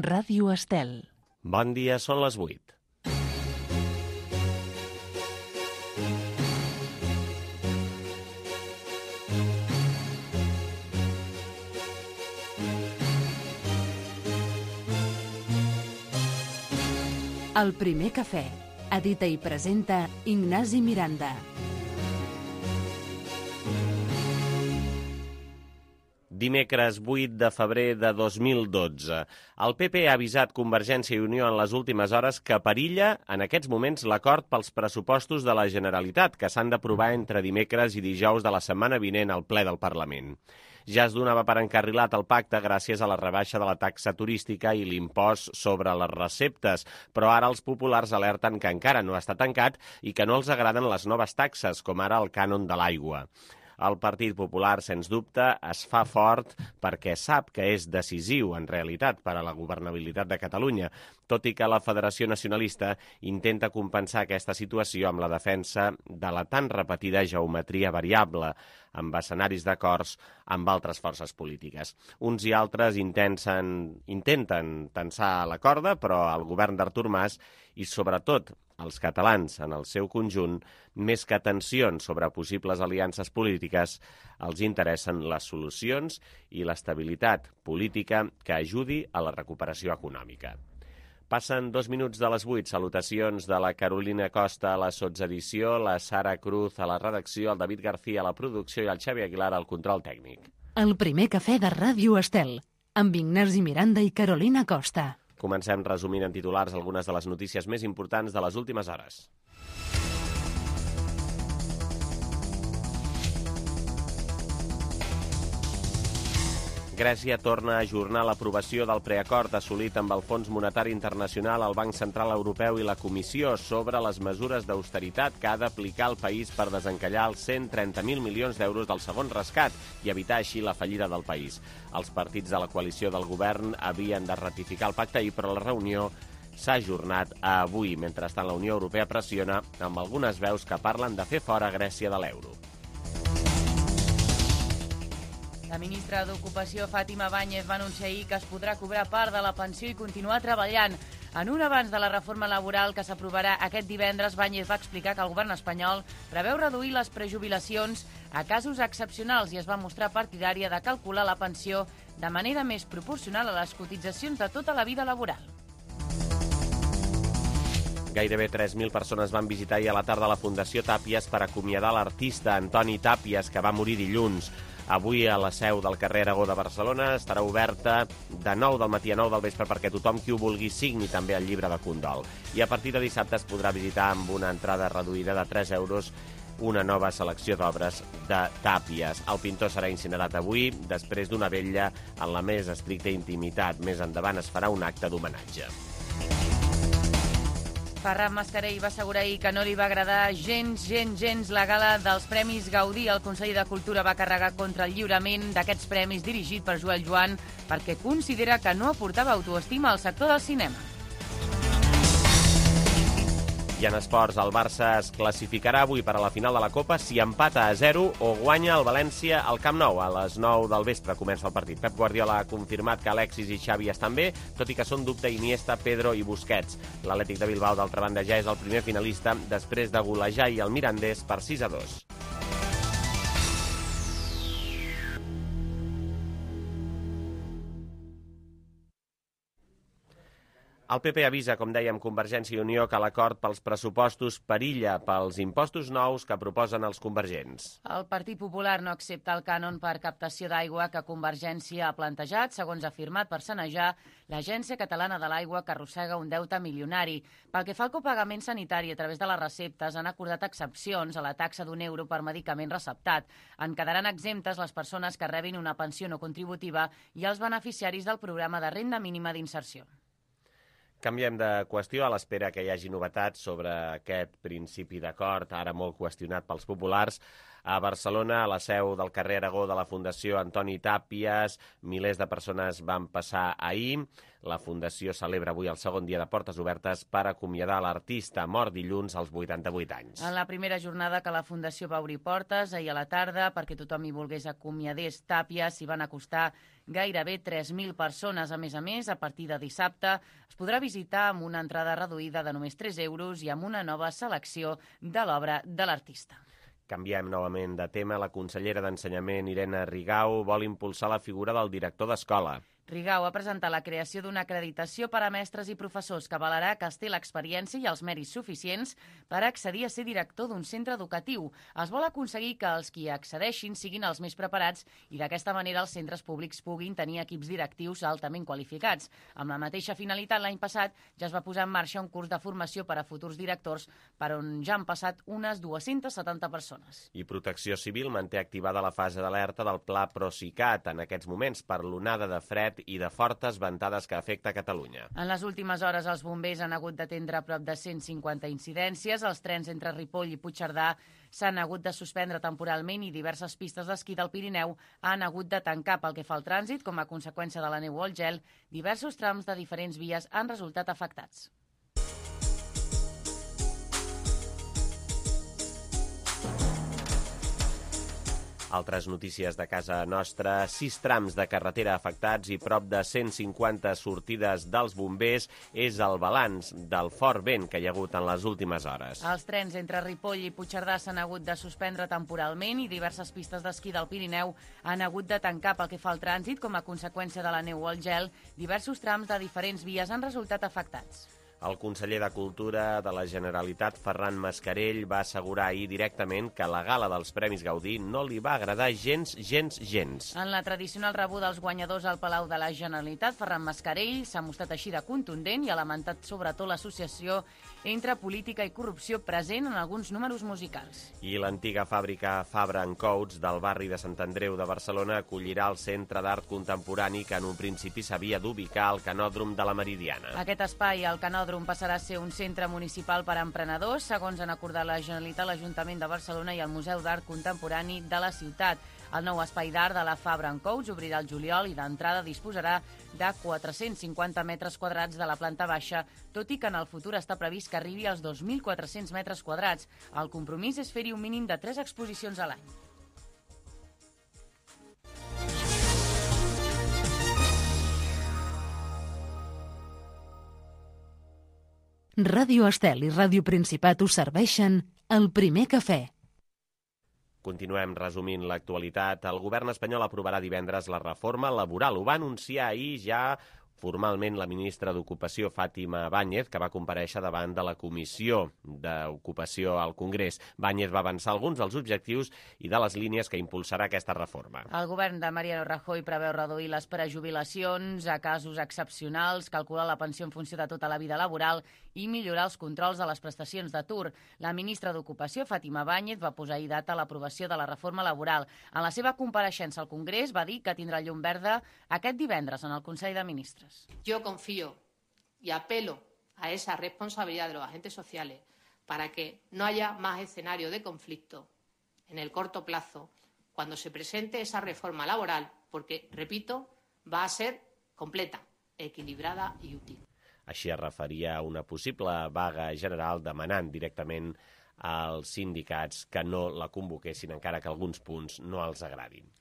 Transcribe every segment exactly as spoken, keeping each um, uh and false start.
Ràdio Estel. Bon dia, són les vuit. El primer cafè. Edita i presenta Ignasi Miranda. Dimecres vuit de febrer de dos mil dotze. El P P ha avisat Convergència i Unió en les últimes hores que perilla en aquests moments l'acord pels pressupostos de la Generalitat, que s'han d'aprovar entre dimecres i dijous de la setmana vinent al ple del Parlament. Ja es donava per encarrilat el pacte gràcies a la rebaixa de la taxa turística i l'impost sobre les receptes, però ara els populars alerten que encara no està tancat i que no els agraden les noves taxes, com ara el cànon de l'aigua. El Partit Popular, sens dubte, es fa fort perquè sap que és decisiu, en realitat, per a la governabilitat de Catalunya, tot i que la Federació Nacionalista intenta compensar aquesta situació amb la defensa de la tan repetida geometria variable, amb escenaris d'acords amb altres forces polítiques. Uns i altres intenten, intenten tensar la corda, però el govern d'Artur Mas i, sobretot, els catalans en el seu conjunt, més que tensions sobre possibles aliances polítiques, els interessen les solucions i l'estabilitat política que ajudi a la recuperació econòmica. Passen dos minuts de les vuit. Salutacions de la Carolina Costa a la sotsedició, la Sara Cruz a la redacció, el David García a la producció i el Xavi Aguilar al control tècnic. El primer cafè de Ràdio Estel, amb Ignasi Miranda i Carolina Costa. Comencem resumint en titulars algunes de les notícies més importants de les últimes hores. Grècia torna a ajornar l'aprovació del preacord assolit amb el Fons Monetari Internacional, el Banc Central Europeu i la Comissió sobre les mesures d'austeritat que ha d'aplicar el país per desencallar els cent trenta mil milions d'euros del segon rescat i evitar així la fallida del país. Els partits de la coalició del govern havien de ratificar el pacte ahir, però la reunió s'ha ajornat a avui. Mentrestant, la Unió Europea pressiona amb algunes veus que parlen de fer fora Grècia de l'euro. La ministra d'Ocupació, Fátima Báñez, va anunciar ahir que es podrà cobrar part de la pensió i continuar treballant. En un avanç de la reforma laboral que s'aprovarà aquest divendres, Báñez va explicar que el govern espanyol preveu reduir les prejubilacions a casos excepcionals i es va mostrar partidària de calcular la pensió de manera més proporcional a les cotitzacions de tota la vida laboral. Gairebé tres mil persones van visitar ahir a la tarda la Fundació Tàpies per acomiadar l'artista Antoni Tàpies, que va morir dilluns. Avui a la seu del carrer Aragó de Barcelona estarà oberta de nou del matí a nou del vespre perquè tothom qui ho vulgui signi també el llibre de condol. I a partir de dissabte es podrà visitar amb una entrada reduïda de tres euros una nova selecció d'obres de Tàpies. El pintor serà incinerat avui, després d'una vetlla en la més estricta intimitat. Més endavant es farà un acte d'homenatge. Ferran Mascarell va assegurar ahir que no li va agradar gens, gens, gens la gala dels Premis Gaudí. El conseller de Cultura va carregar contra el lliurament d'aquests premis dirigit per Joel Joan perquè considera que no aportava autoestima al sector del cinema. I en esports, el Barça es classificarà avui per a la final de la Copa si empata a zero o guanya el València al Camp Nou. A les nou del vespre comença el partit. Pep Guardiola ha confirmat que Alexis i Xavi estan bé, tot i que són dubte Iniesta, Pedro i Busquets. L'Atlètic de Bilbao, d'altra banda, ja és el primer finalista després de golejar i el Mirandés per sis a dos. El P P avisa, com dèiem, Convergència i Unió que l'acord pels pressupostos perilla pels impostos nous que proposen els convergents. El Partit Popular no accepta el cànon per captació d'aigua que Convergència ha plantejat, segons ha afirmat per sanejar l'Agència Catalana de l'Aigua, que arrossega un deute milionari. Pel que fa al copagament sanitari a través de les receptes, han acordat excepcions a la taxa d'un euro per medicament receptat. En quedaran exemptes les persones que rebin una pensió no contributiva i els beneficiaris del programa de renda mínima d'inserció. Canviem de qüestió a l'espera que hi hagi novetats sobre aquest principi d'acord, ara molt qüestionat pels populars. A Barcelona, a la seu del carrer Aragó de la Fundació Antoni Tàpies, milers de persones van passar ahir. La Fundació celebra avui el segon dia de portes obertes per acomiadar l'artista mort dilluns als vuitanta-vuit anys. En la primera jornada que la Fundació va obrir portes, ahir a la tarda, perquè tothom hi volgués acomiadés Tàpies, s'hi van acostar gairebé tres mil persones. A més a més, a partir de dissabte es podrà visitar amb una entrada reduïda de només tres euros i amb una nova selecció de l'obra de l'artista. Canviem novament de tema. La consellera d'Ensenyament, Irene Rigau, vol impulsar la figura del director d'escola. Rigau ha presentat la creació d'una acreditació per a mestres i professors que avalarà que es té l'experiència i els mèrits suficients per accedir a ser director d'un centre educatiu. Es vol aconseguir que els qui accedeixin siguin els més preparats i d'aquesta manera els centres públics puguin tenir equips directius altament qualificats. Amb la mateixa finalitat, l'any passat ja es va posar en marxa un curs de formació per a futurs directors per on ja han passat unes dues-centes setanta persones. I Protecció Civil manté activada la fase d'alerta del Pla Procicat en aquests moments per l'onada de fred i de fortes ventades que afecta Catalunya. En les últimes hores els bombers han hagut d'atendre prop de cent cinquanta incidències. Els trens entre Ripoll i Puigcerdà s'han hagut de suspendre temporalment i diverses pistes d'esquí del Pirineu han hagut de tancar pel que fa al trànsit. Com a conseqüència de la neu o el gel, diversos trams de diferents vies han resultat afectats. Altres notícies de casa nostra, sis trams de carretera afectats i prop de cent cinquanta sortides dels bombers és el balanç del fort vent que hi ha hagut en les últimes hores. Els trens entre Ripoll i Puigcerdà s'han hagut de suspendre temporalment i diverses pistes d'esquí del Pirineu han hagut de tancar pel que fa al trànsit. Com a conseqüència de la neu o el gel, diversos trams de diferents vies han resultat afectats. El conseller de Cultura de la Generalitat, Ferran Mascarell, va assegurar ahir directament que la gala dels Premis Gaudí no li va agradar gens, gens, gens. En la tradicional rebuda dels guanyadors al Palau de la Generalitat, Ferran Mascarell s'ha mostrat així de contundent i ha lamentat sobretot l'associació entre política i corrupció present en alguns números musicals. I l'antiga fàbrica Fabra and Coats del barri de Sant Andreu de Barcelona acollirà el Centre d'Art Contemporani que en un principi s'havia d'ubicar al Canòdrom de la Meridiana. Aquest espai, el Canòdrom, passarà a ser un centre municipal per a emprenedors, segons han acordat la Generalitat, l'Ajuntament de Barcelona i el Museu d'Art Contemporani de la ciutat. El nou espai d'art de la Fabra and Coats obrirà el juliol i d'entrada disposarà de quatre-cents cinquanta metres quadrats de la planta baixa, tot i que en el futur està previst que arribi als dos mil quatre-cents metres quadrats. El compromís és fer-hi un mínim de tres exposicions a l'any. Ràdio Estel i Ràdio Principat us serveixen el primer cafè. Continuem resumint l'actualitat. El govern espanyol aprovarà divendres la reforma laboral. Ho va anunciar ahir ja formalment la ministra d'Ocupació, Fàtima Báñez, que va comparèixer davant de la Comissió d'Ocupació al Congrés. Báñez va avançar alguns dels objectius i de les línies que impulsarà aquesta reforma. El govern de Mariano Rajoy preveu reduir les prejubilacions a casos excepcionals, calcular la pensió en funció de tota la vida laboral i millorar els controls de les prestacions d'atur. La ministra d'Ocupació, Fàtima Báñez, va posar ahir data a l'aprovació de la reforma laboral. En la seva compareixença al Congrés va dir que tindrà llum verda aquest divendres en el Consell de Ministres. Yo confío y apelo a esa responsabilidad de los agentes sociales para que no haya más escenario de conflicto en el corto plazo cuando se presente esa reforma laboral, porque, repito, va a ser completa, equilibrada y útil. Així es referia a una possible vaga general demanant directament als sindicats que no la convoquessin, encara que alguns punts no els agradin.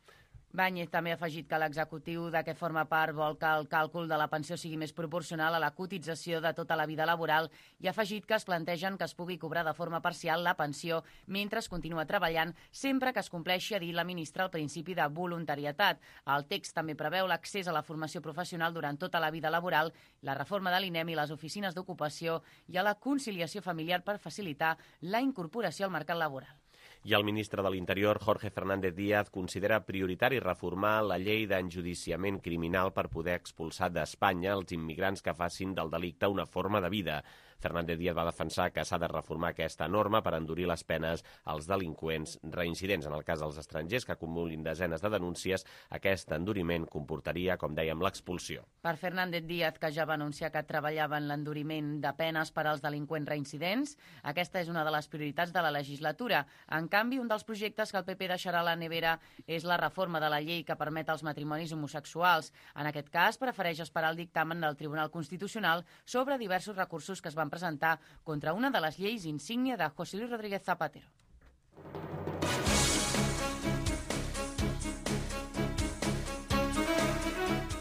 Báñez també ha afegit que l'executiu de què forma part vol que el càlcul de la pensió sigui més proporcional a la cotització de tota la vida laboral i ha afegit que es plantegen que es pugui cobrar de forma parcial la pensió mentre es continua treballant, sempre que es compleixi, ha dit la ministra, el principi de voluntarietat. El text també preveu l'accés a la formació professional durant tota la vida laboral, la reforma de l'INEM i les oficines d'ocupació i a la conciliació familiar per facilitar la incorporació al mercat laboral. I el ministre de l'Interior, Jorge Fernández Díaz, considera prioritari reformar la llei d'enjudiciament criminal per poder expulsar d'Espanya els immigrants que facin del delicte una forma de vida. Fernández Díaz va defensar que s'ha de reformar aquesta norma per endurir les penes als delinqüents reincidents. En el cas dels estrangers que acumulin desenes de denúncies, aquest enduriment comportaria, com dèiem, l'expulsió. Per Fernández Díaz, que ja va anunciar que treballava en l'enduriment de penes per als delinqüents reincidents, aquesta és una de les prioritats de la legislatura. En canvi, un dels projectes que el P P deixarà a la nevera és la reforma de la llei que permet els matrimonis homosexuals. En aquest cas, prefereix esperar el dictamen del Tribunal Constitucional sobre diversos recursos que es van presentar contra una de les lleis insígnia de José Luis Rodríguez Zapatero.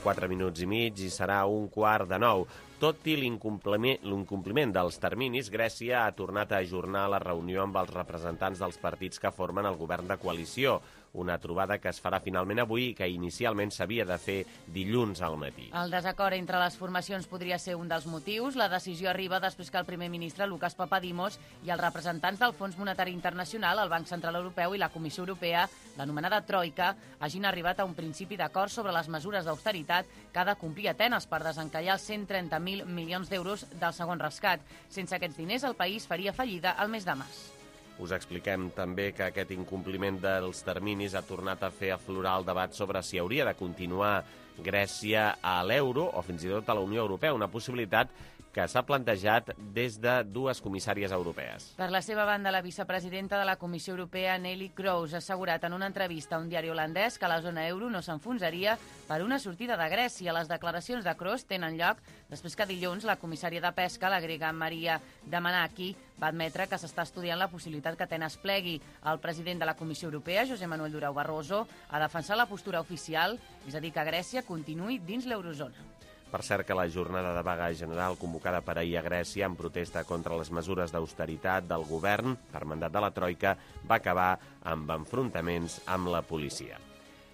Quatre minuts i mig i serà un quart de nou. Tot i l'incompliment dels terminis, Grècia ha tornat a ajornar la reunió amb els representants dels partits que formen el govern de coalició, una trobada que es farà finalment avui i que inicialment s'havia de fer dilluns al matí. El desacord entre les formacions podria ser un dels motius. La decisió arriba després que el primer ministre, Lucas Papadimos, i els representants del Fons Monetari Internacional, el Banc Central Europeu i la Comissió Europea, l'anomenada Troika, hagin arribat a un principi d'acord sobre les mesures d'austeritat que ha de complir Atenes per desencallar els cent trenta mil milions d'euros del segon rescat. Sense aquests diners, el país faria fallida al mes de març. Us expliquem també que aquest incompliment dels terminis ha tornat a fer aflorar el debat sobre si hauria de continuar Grècia a l'euro o fins i tot a la Unió Europea, una possibilitat que s'ha plantejat des de dues comissàries europees. Per la seva banda, la vicepresidenta de la Comissió Europea, Neelie Kroes, ha assegurat en una entrevista a un diari holandès que la zona euro no s'enfonsaria per una sortida de Grècia. Les declaracions de Kroes tenen lloc després que dilluns la comissària de Pesca, la grega Maria Damanaki, va admetre que s'està estudiant la possibilitat que Atenes plegui. El president de la Comissió Europea, José Manuel Durão Barroso, ha defensat la postura oficial, és a dir, que Grècia continuï dins l'eurozona. Per cert que la jornada de vaga general convocada per ahir a Grècia en protesta contra les mesures d'austeritat del govern per mandat de la Troika va acabar amb enfrontaments amb la policia.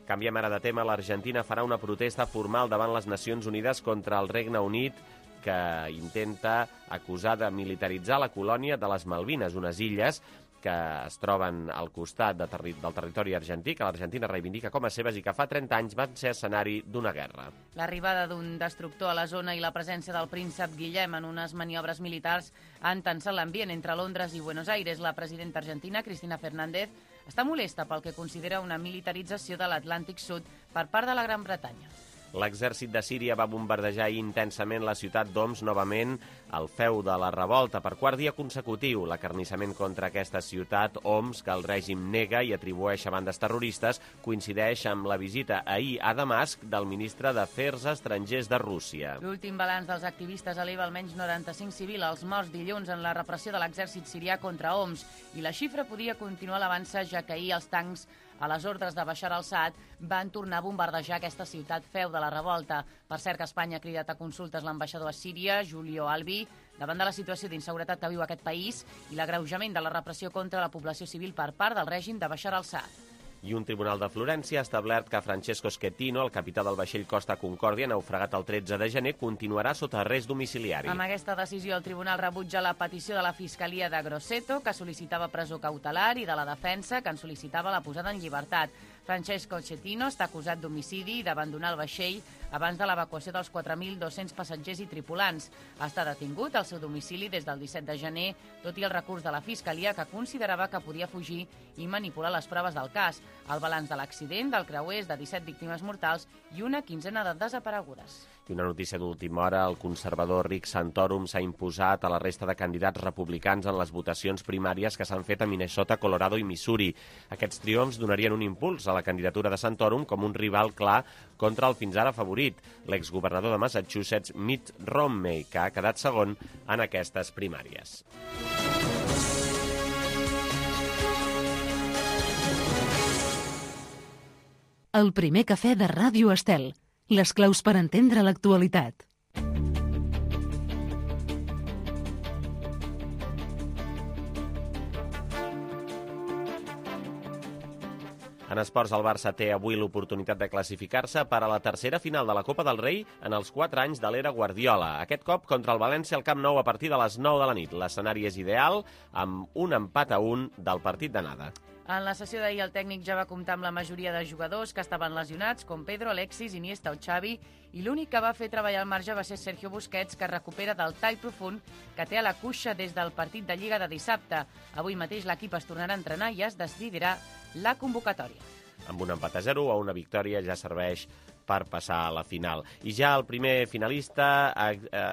Canviem ara de tema. L'Argentina farà una protesta formal davant les Nacions Unides contra el Regne Unit que intenta acusar de militaritzar la colònia de les Malvines, unes illes que es troben al costat de terri del territori argentí, que l'Argentina reivindica com a seves i que fa trenta anys van ser escenari d'una guerra. L'arribada d'un destructor a la zona i la presència del príncep Guillem en unes maniobres militars han tensat l'ambient entre Londres i Buenos Aires. La presidenta argentina, Cristina Fernández, està molesta pel que considera una militarització de l'Atlàntic Sud per part de la Gran Bretanya. L'exèrcit de Síria va bombardejar intensament la ciutat d'Homs novament al feu de la revolta per quart dia consecutiu. L'acarnissament contra aquesta ciutat, Homs, que el règim nega i atribueix a bandes terroristes, coincideix amb la visita ahir a Damasc del ministre d'Afers Estrangers de Rússia. L'últim balanç dels activistes eleva almenys noranta-cinc civils als morts dilluns en la repressió de l'exèrcit sirià contra Homs i la xifra podria continuar l'avança, ja que ahir els tancs a les ordres de Bashar al-Assad van tornar a bombardejar aquesta ciutat feu de la revolta. Per cert que Espanya ha cridat a consultes l'ambaixador a Síria, Julio Albi, davant de la situació d'inseguretat que viu aquest país i l'agreujament de la repressió contra la població civil per part del règim de Bashar al-Assad. I un tribunal de Florència ha establert que Francesco Schettino, el capità del vaixell Costa Concòrdia, naufragat el tretze de gener, continuarà sota arrest domiciliari. Amb aquesta decisió, el tribunal rebutja la petició de la Fiscalia de Grosseto, que sol·licitava presó cautelar, i de la defensa, que en sol·licitava la posada en llibertat. Francesco Schettino està acusat d'homicidi i d'abandonar el vaixell abans de l'evacuació dels quatre mil dos-cents passatgers i tripulants. Està detingut al seu domicili des del disset de gener, tot i el recurs de la Fiscalia, que considerava que podia fugir i manipular les proves del cas. El balanç de l'accident del creuer és de disset víctimes mortals i una quinzena de desaparegudes. I una notícia d'última hora, el conservador Rick Santorum s'ha imposat a la resta de candidats republicans en les votacions primàries que s'han fet a Minnesota, Colorado i Missouri. Aquests triomfs donarien un impuls a la candidatura de Santorum com un rival clar contra el fins ara favorit, l'exgovernador de Massachusetts, Mitt Romney, que ha quedat segon en aquestes primàries. El primer cafè de Ràdio Estel. Les claus per entendre l'actualitat. En esports, el Barça té avui l'oportunitat de classificar-se per a la tercera final de la Copa del Rei en els quatre anys de l'era Guardiola. Aquest cop contra el València al Camp Nou a partir de les nou de la nit. L'escenari és ideal, amb un empat a un del partit d'anada. En la sessió d'ahir, el tècnic ja va comptar amb la majoria de jugadors que estaven lesionats, com Pedro, Alexis, Iniesta o Xavi, i l'únic que va fer treballar al marge va ser Sergio Busquets, que recupera del tall profund que té a la cuixa des del partit de Lliga de dissabte. Avui mateix l'equip es tornarà a entrenar i es decidirà la convocatòria. Amb un empat a zero o una victòria ja serveix per passar a la final. I ja el primer finalista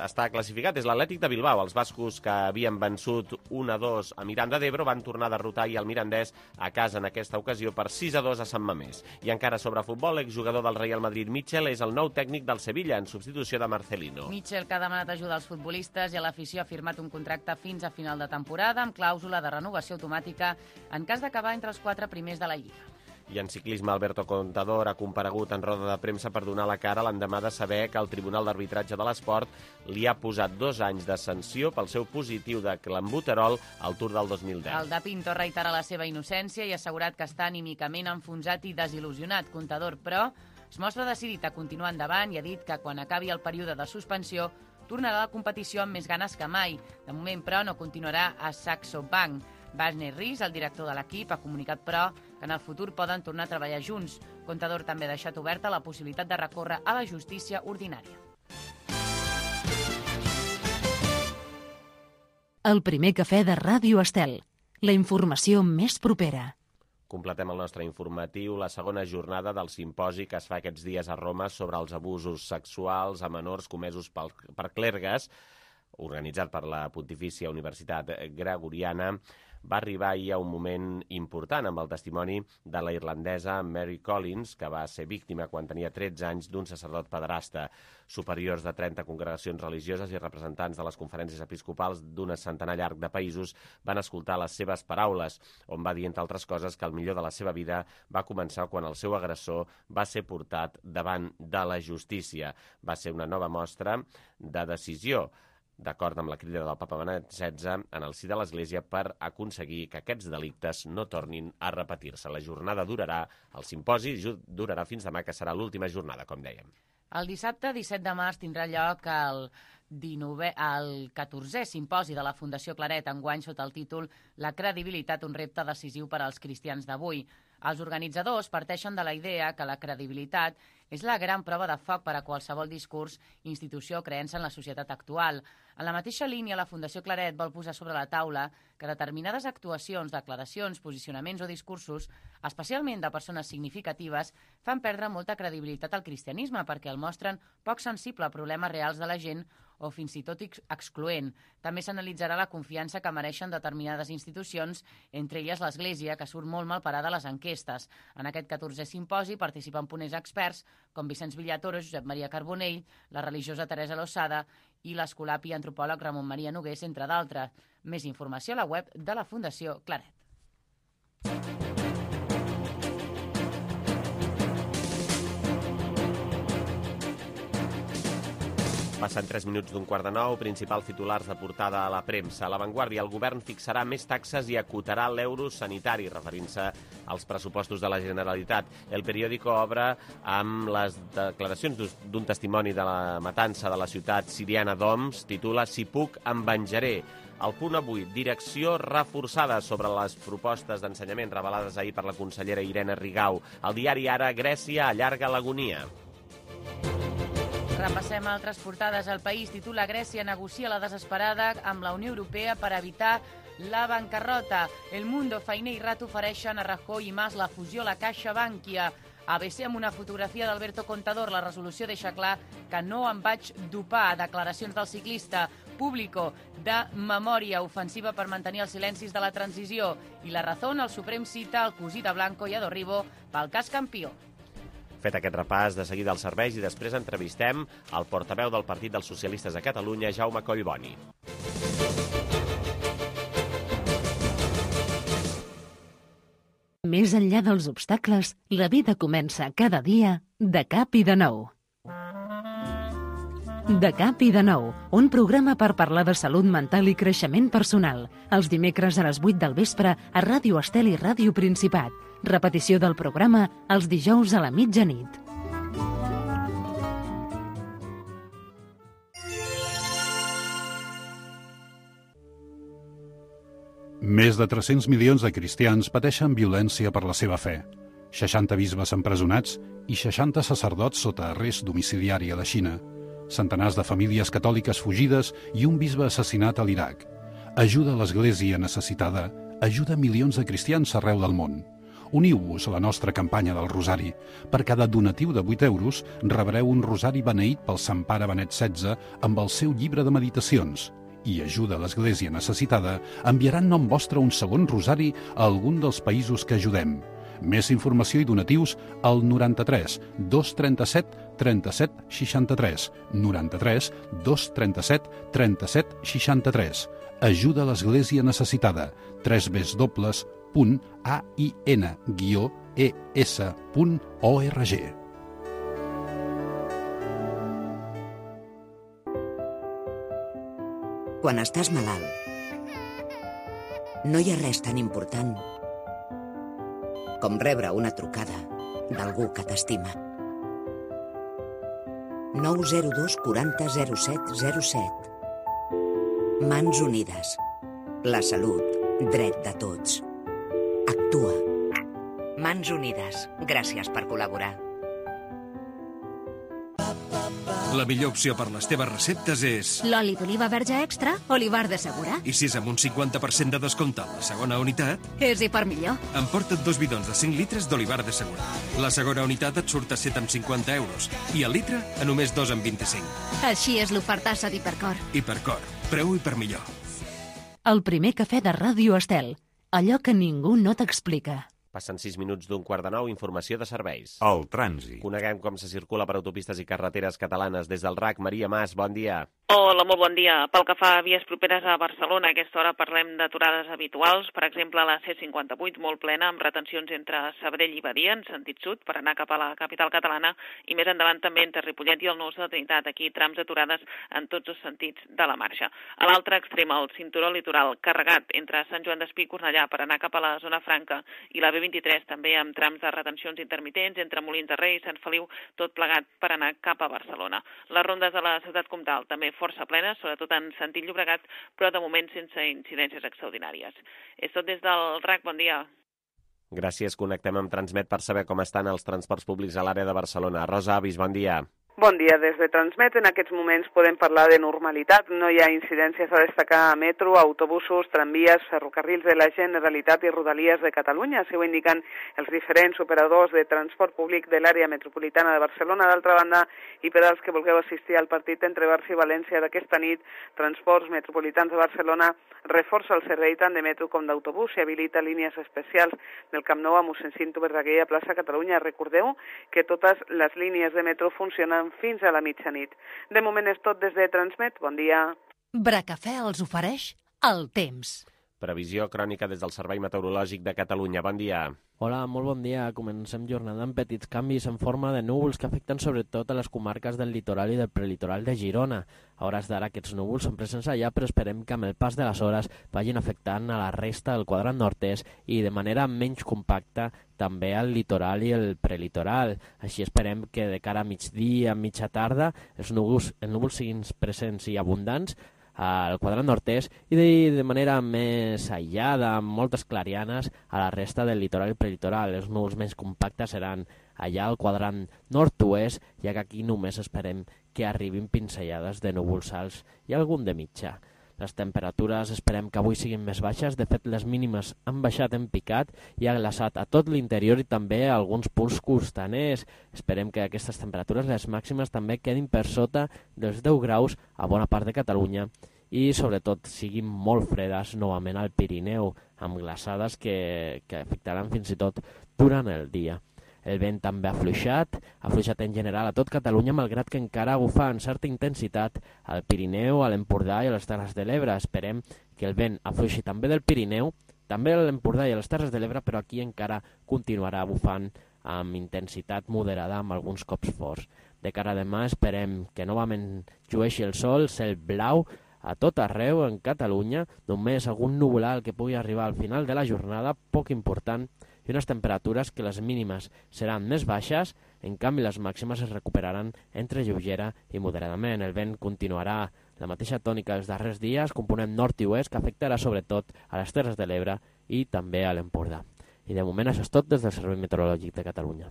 està classificat, és l'Atlètic de Bilbao. Els bascos, que havien vençut un a dos a Miranda d'Ebro, van tornar a derrotar i el mirandès a casa en aquesta ocasió per sis a dos a Sant Mamés. I encara sobre futbol, l'exjugador del Real Madrid, Mitchell, és el nou tècnic del Sevilla en substitució de Marcelino. Mitchell, que ha demanat ajuda als futbolistes i a l'afició, ha firmat un contracte fins a final de temporada amb clàusula de renovació automàtica en cas d'acabar entre els quatre primers de la Lliga. I en ciclisme, Alberto Contador ha comparegut en roda de premsa per donar la cara l'endemà de saber que el Tribunal d'Arbitratge de l'Esport li ha posat dos anys de sanció pel seu positiu de clenbuterol al Tour del dos mil deu. El de Pinto reitera la seva innocència i ha assegurat que està anímicament enfonsat i desil·lusionat. Contador, però, es mostra decidit a continuar endavant i ha dit que quan acabi el període de suspensió tornarà a la competició amb més ganes que mai. De moment, però, no continuarà a Saxo Bank. Wagner Ries, el director de l'equip, ha comunicat, però, que en el futur poden tornar a treballar junts. Contador també ha deixat oberta la possibilitat de recórrer a la justícia ordinària. El primer cafè de Ràdio Estel. La informació més propera. Completem el nostre informatiu, la segona jornada del simposi que es fa aquests dies a Roma sobre els abusos sexuals a menors comesos per, per clergues, organitzat per la Pontifícia Universitat Gregoriana, va arribar ahir a un moment important amb el testimoni de la irlandesa Mary Collins, que va ser víctima quan tenia tretze anys d'un sacerdot pederasta. Superiors de trenta congregacions religioses i representants de les conferències episcopals d'un centenar llarg de països van escoltar les seves paraules, on va dir, entre altres coses, que el millor de la seva vida va començar quan el seu agressor va ser portat davant de la justícia. Va ser una nova mostra de decisió, d'acord amb la crida del papa Benet setze, en el si de l'Església per aconseguir que aquests delictes no tornin a repetir-se. La jornada durarà, el simposi durarà fins demà, que serà l'última jornada, com dèiem. El dissabte disset de març tindrà lloc el dinovè, el catorzè simposi de la Fundació Claret, enguany sota el títol La credibilitat, un repte decisiu per als cristians d'avui. Els organitzadors parteixen de la idea que la credibilitat és la gran prova de foc per a qualsevol discurs, institució o creença en la societat actual. En la mateixa línia, la Fundació Claret vol posar sobre la taula que determinades actuacions, declaracions, posicionaments o discursos, especialment de persones significatives, fan perdre molta credibilitat al cristianisme perquè el mostren poc sensible a problemes reals de la gent o fins i tot excloent. També s'analitzarà la confiança que mereixen determinades institucions, entre elles l'Església, que surt molt mal parada a les enquestes. En aquest catorzè simposi participen ponents experts com Vicenç Villatoro, Josep Maria Carbonell, la religiosa Teresa Losada i l'escolapi i antropòleg Ramon Maria Nogués, entre d'altres. Més informació a la web de la Fundació Claret. Passen tres minuts d'un quart de nou, principals titulars de portada a la premsa. A l'avantguàrdia, el govern fixarà més taxes i acotarà l'euro sanitari, referint-se als pressupostos de la Generalitat. El periòdico obre amb les declaracions d'un testimoni de la matança de la ciutat siriana d'Homs, titula Si puc, em venjaré. El punt avui, direcció reforçada sobre les propostes d'ensenyament revelades ahir per la consellera Irene Rigau. El diari Ara, Grècia allarga l'agonia. Repassem altres portades. El País titula Grècia negocia la desesperada amb la Unió Europea per evitar la bancarrota. El Mundo, Fainé i Rato ofereixen a Rajoy i Mas la fusió a la Caixa Bankia. A B C amb una fotografia d'Alberto Contador. La resolució deixa clar que no em vaig dopar. Declaracions del ciclista. Público, de memòria ofensiva per mantenir els silencis de la transició. I La Razón, el Suprem cita el cosí de Blanco i Adorribo pel cas Campió. Fet aquest repàs, de seguida als serveis i després entrevistem el portaveu del Partit dels Socialistes de Catalunya, Jaume Collboni. Més enllà dels obstacles, la vida comença cada dia de cap i de nou. De cap i de nou, un programa per parlar de salut mental i creixement personal. Els dimecres a les vuit del vespre a Ràdio Estel i Ràdio Principat. Repetició del programa els dijous a la mitjanit. Més de tres-cents milions de cristians pateixen violència per la seva fe. seixanta bisbes empresonats i seixanta sacerdots sota arrest domiciliari a la Xina. Centenars de famílies catòliques fugides i un bisbe assassinat a l'Iraq. Ajuda a l'Església necessitada, ajuda milions de cristians arreu del món. Uniu-vos a la nostra campanya del Rosari. Per cada donatiu de vuit euros rebreu un rosari beneït pel Sant Pare Benet setze amb el seu llibre de meditacions. I ajuda a l'Església necessitada enviaran nom vostre un segon rosari a algun dels països que ajudem. Més informació i donatius al noranta-tres dos trenta-set trenta-set seixanta-tres, noranta-tres dos trenta-set trenta-set seixanta-tres. Ajuda a l'Església necessitada. tres w punt a i n guió e s punt org. Quan estàs malalt, no hi ha res tan important com rebre una trucada d'algú que t'estima. nou zero dos quaranta zero set zero set. Mans Unides. La salut, dret de tots. Actua. Mans Unides. Gràcies per col·laborar. La millor opció per les teves receptes és... L'oli d'oliva verge extra, Olivar de Segura. I si és amb un cinquanta per cent de descompte a la segona unitat... És i per millor. Emporta't dos bidons de cinc litres d'Olivar de Segura. La segona unitat et surt a set amb cinquanta euros i el litre a només dos amb vint-i-cinc. Així és l'ofertassa d'Hipercor. Hipercor. Preu i per millor. El primer cafè de Ràdio Estel. Allò que ningú no t'explica. Passen sis minuts d'un quart de nou, informació de serveis. El trànsit. Coneguem com se circula per autopistes i carreteres catalanes des del R A C. Maria Mas, bon dia. Hola, molt bon dia. Pel que fa a vies properes a Barcelona, a aquesta hora parlem d'aturades habituals. Per exemple, a la C cinquanta-vuit, molt plena, amb retencions entre Sabadell i Badia, en sentit sud, per anar cap a la capital catalana, i més endavant també entre Ripollet i el Nus de la Trinitat. Aquí trams aturades en tots els sentits de la marxa. A l'altre extrem, el cinturó litoral, carregat entre Sant Joan d'Espí i Cornellà per anar cap a la zona franca i la B vint-i-tres, també amb trams de retencions intermitents entre Molins de Rei i Sant Feliu, tot plegat per anar cap a Barcelona. Les rondes de la ciutat comtal també força plenes, sobretot en sentit Llobregat, però de moment sense incidències extraordinàries. És tot des del R A C, bon dia. Gràcies, connectem amb Transmet per saber com estan els transports públics a l'àrea de Barcelona. Rosa Avis, bon dia. Bon dia, des de Transmet. En aquests moments podem parlar de normalitat. No hi ha incidències a destacar a metro, autobusos, tramvies, ferrocarrils de la Generalitat i Rodalies de Catalunya. Així ho indiquen els diferents operadors de transport públic de l'àrea metropolitana de Barcelona. D'altra banda, i per als que vulgueu assistir al partit entre Barça i València d'aquesta nit, Transports Metropolitans de Barcelona reforça el servei tant de metro com d'autobús i habilita línies especials del Camp Nou a mossèn Cinto Verdaguer a plaça Catalunya. Recordeu que totes les línies de metro funcionen fins a la mitjanit. De moment és tot des de Transmet. Bon dia. Bracafè els ofereix el temps. Previsió crònica des del Servei Meteorològic de Catalunya. Bon dia. Hola, molt bon dia. Comencem jornada amb petits canvis en forma de núvols que afecten sobretot a les comarques del litoral i del prelitoral de Girona. A hores d'ara aquests núvols són presents allà, però esperem que amb el pas de les hores vagin afectant a la resta del quadrant nord-est i de manera menys compacta també al litoral i el prelitoral. Així esperem que de cara a migdia, a mitja tarda, els núvols, els núvols siguin presents i abundants al quadrant nord-est i de, de manera més aïllada, amb moltes clarianes, a la resta del litoral i prelitoral. Els núvols més compactes seran allà al quadrant nord-oest, ja que aquí només esperem que arribin pinzellades de núvols alts i algun de mitja. Les temperatures esperem que avui siguin més baixes. De fet, les mínimes han baixat en picat i ha glaçat a tot l'interior i també a alguns punts costaners. Esperem que aquestes temperatures, les màximes, també quedin per sota dels deu graus a bona part de Catalunya i, sobretot, siguin molt fredes novament al Pirineu, amb glaçades que, que afectaran fins i tot durant el dia. El vent també ha afluixat, ha afluixat en general a tot Catalunya, malgrat que encara bufa en certa intensitat al Pirineu, a l'Empordà i a les Terres de l'Ebre. Esperem que el vent afluixi també del Pirineu, també a l'Empordà i a les Terres de l'Ebre, però aquí encara continuarà bufant amb intensitat moderada, amb alguns cops forts. De cara a demà esperem que novament llueixi el sol, cel blau, a tot arreu en Catalunya, només algun nuvolal que pugui arribar al final de la jornada, poc important, i unes temperatures que les mínimes seran més baixes, en canvi les màximes es recuperaran entre lleugera i moderadament. El vent continuarà la mateixa tònica dels darrers dies, component nord i oest, que afectarà sobretot a les Terres de l'Ebre i també a l'Empordà. I de moment això és tot des del Servei Meteorològic de Catalunya.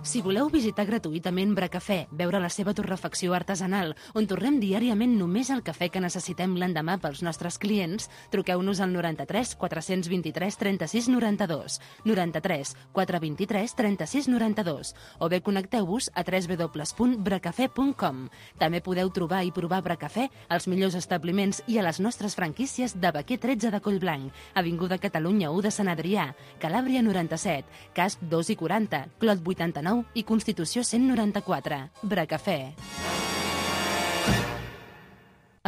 Si voleu visitar gratuïtament Bracafè, veure la seva torrefacció artesanal, on torrem diàriament només el cafè que necessitem l'endemà pels nostres clients, truqueu-nos al noranta-tres quatre-cents vint-i-tres trenta-sis noranta-dos, noranta-tres quatre vint-i-tres trenta-sis noranta-dos, o bé connecteu-vos a w w w punt bracafè punt com. També podeu trobar i provar Bracafè als millors establiments i a les nostres franquícies de Baquer tretze de Collblanc, Avinguda Catalunya u de Sant Adrià, Calàbria noranta-set, Casp dos i quaranta, Clot vuitanta-nou i Constitució cent noranta-quatre. Bracafè.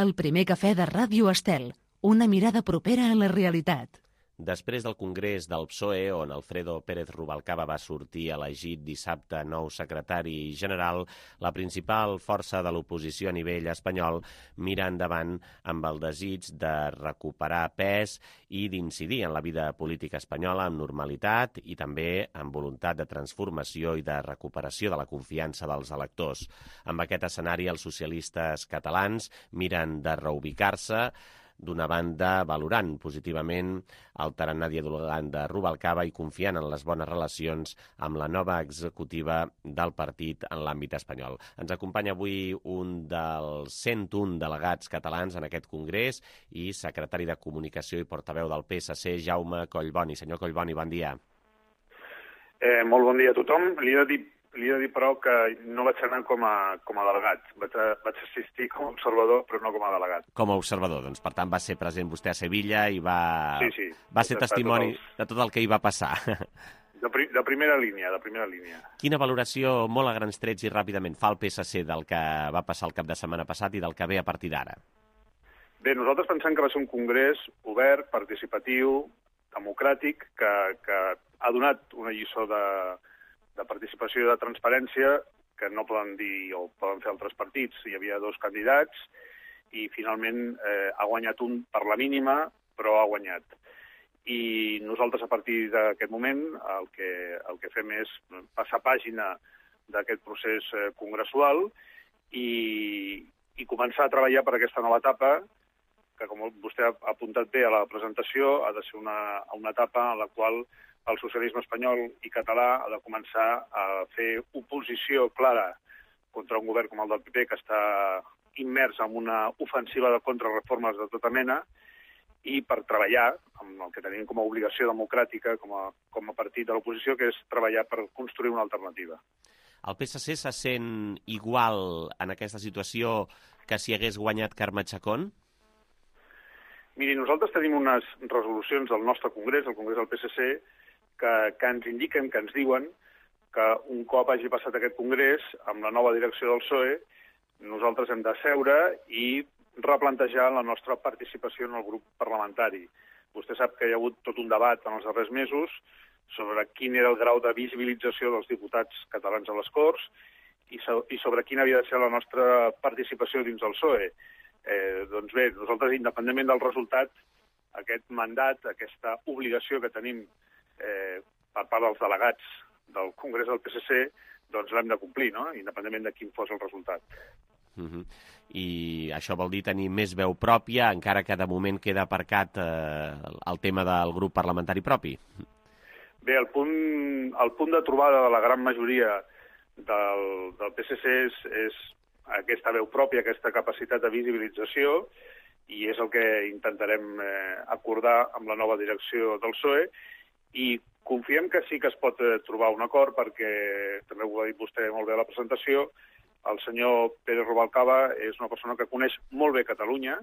El primer cafè de Ràdio Estel. Una mirada propera a la realitat. Després del congrés del P S O E, on Alfredo Pérez Rubalcaba va sortir elegit dissabte nou secretari general, la principal força de l'oposició a nivell espanyol mira endavant amb el desig de recuperar pes i d'incidir en la vida política espanyola amb normalitat i també amb voluntat de transformació i de recuperació de la confiança dels electors. Amb aquest escenari, els socialistes catalans miren de reubicar-se, d'una banda, valorant positivament el tarannà dialogant de Rubalcaba i confiant en les bones relacions amb la nova executiva del partit en l'àmbit espanyol. Ens acompanya avui un dels cent un delegats catalans en aquest congrés i secretari de Comunicació i portaveu del P S C, Jaume Collboni. Senyor Collboni, bon dia. Eh, molt bon dia a tothom. Li he de dir Li he de dir, però, que no vaig anar com a, com a delegat. Vaig, a, vaig assistir com a observador, però no com a delegat. Com a observador, doncs, per tant, va ser present vostè a Sevilla i va, sí, sí. va ser testimoni tot els... de tot el que hi va passar. De, pri de primera línia, de primera línia. Quina valoració, molt a grans trets i ràpidament, fa el P S C del que va passar el cap de setmana passat i del que ve a partir d'ara? Bé, nosaltres pensem que va ser un congrés obert, participatiu, democràtic, que, que ha donat una lliçó de... de participació i de transparència que no poden dir o poden fer altres partits. Hi havia dos candidats i finalment eh, ha guanyat un per la mínima, però ha guanyat. I nosaltres a partir d'aquest moment el que, el que fem és passar pàgina d'aquest procés eh, congressual i, i començar a treballar per aquesta nova etapa que, com vostè ha apuntat bé a la presentació, ha de ser una, una etapa en la qual el socialisme espanyol i català ha de començar a fer oposició clara contra un govern com el del P P, que està immers en una ofensiva de contrarreformes de tota mena, i per treballar, amb el que tenim com a obligació democràtica, com a, com a partit de l'oposició, que és treballar per construir una alternativa. El P S C se sent igual en aquesta situació que si hagués guanyat Carme Chacón? Miri, nosaltres tenim unes resolucions del nostre congrés, el congrés del P S C, que, que ens indiquen, que ens diuen que un cop hagi passat aquest congrés, amb la nova direcció del P S O E, nosaltres hem de seure i replantejar la nostra participació en el grup parlamentari. Vostè sap que hi ha hagut tot un debat en els darrers mesos sobre quin era el grau de visibilització dels diputats catalans a les Corts i, so, i sobre quina havia de ser la nostra participació dins del P S O E. Eh, doncs bé, nosaltres, independentment del resultat, aquest mandat, aquesta obligació que tenim eh, per part dels delegats del Congrés del P S C, doncs l'hem de complir, no? Independentment de quin fos el resultat. Uh-huh. I això vol dir tenir més veu pròpia, encara que de moment queda aparcat eh, el tema del grup parlamentari propi? Bé, el punt, el punt de trobada de la gran majoria del, del P S C és, és aquesta veu pròpia, aquesta capacitat de visibilització, i és el que intentarem eh, acordar amb la nova direcció del P S O E, i confiem que sí que es pot eh, trobar un acord, perquè, també ho ha dit vostè molt bé a la presentació, el senyor Pérez Rubalcaba és una persona que coneix molt bé Catalunya,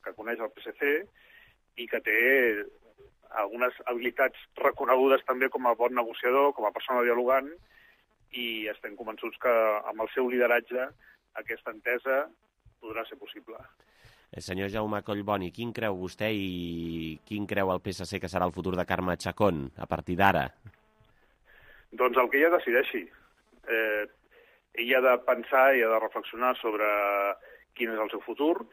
que coneix el P S C, i que té algunes habilitats reconegudes també com a bon negociador, com a persona dialogant, i estem convençuts que amb el seu lideratge aquesta entesa podrà ser possible. Senyor Jaume Collboni, quin creu vostè i quin creu el P S C que serà el futur de Carme Chacón a partir d'ara? Doncs el que ella decideixi. Eh, ella ha de pensar i ha de reflexionar sobre quin és el seu futur.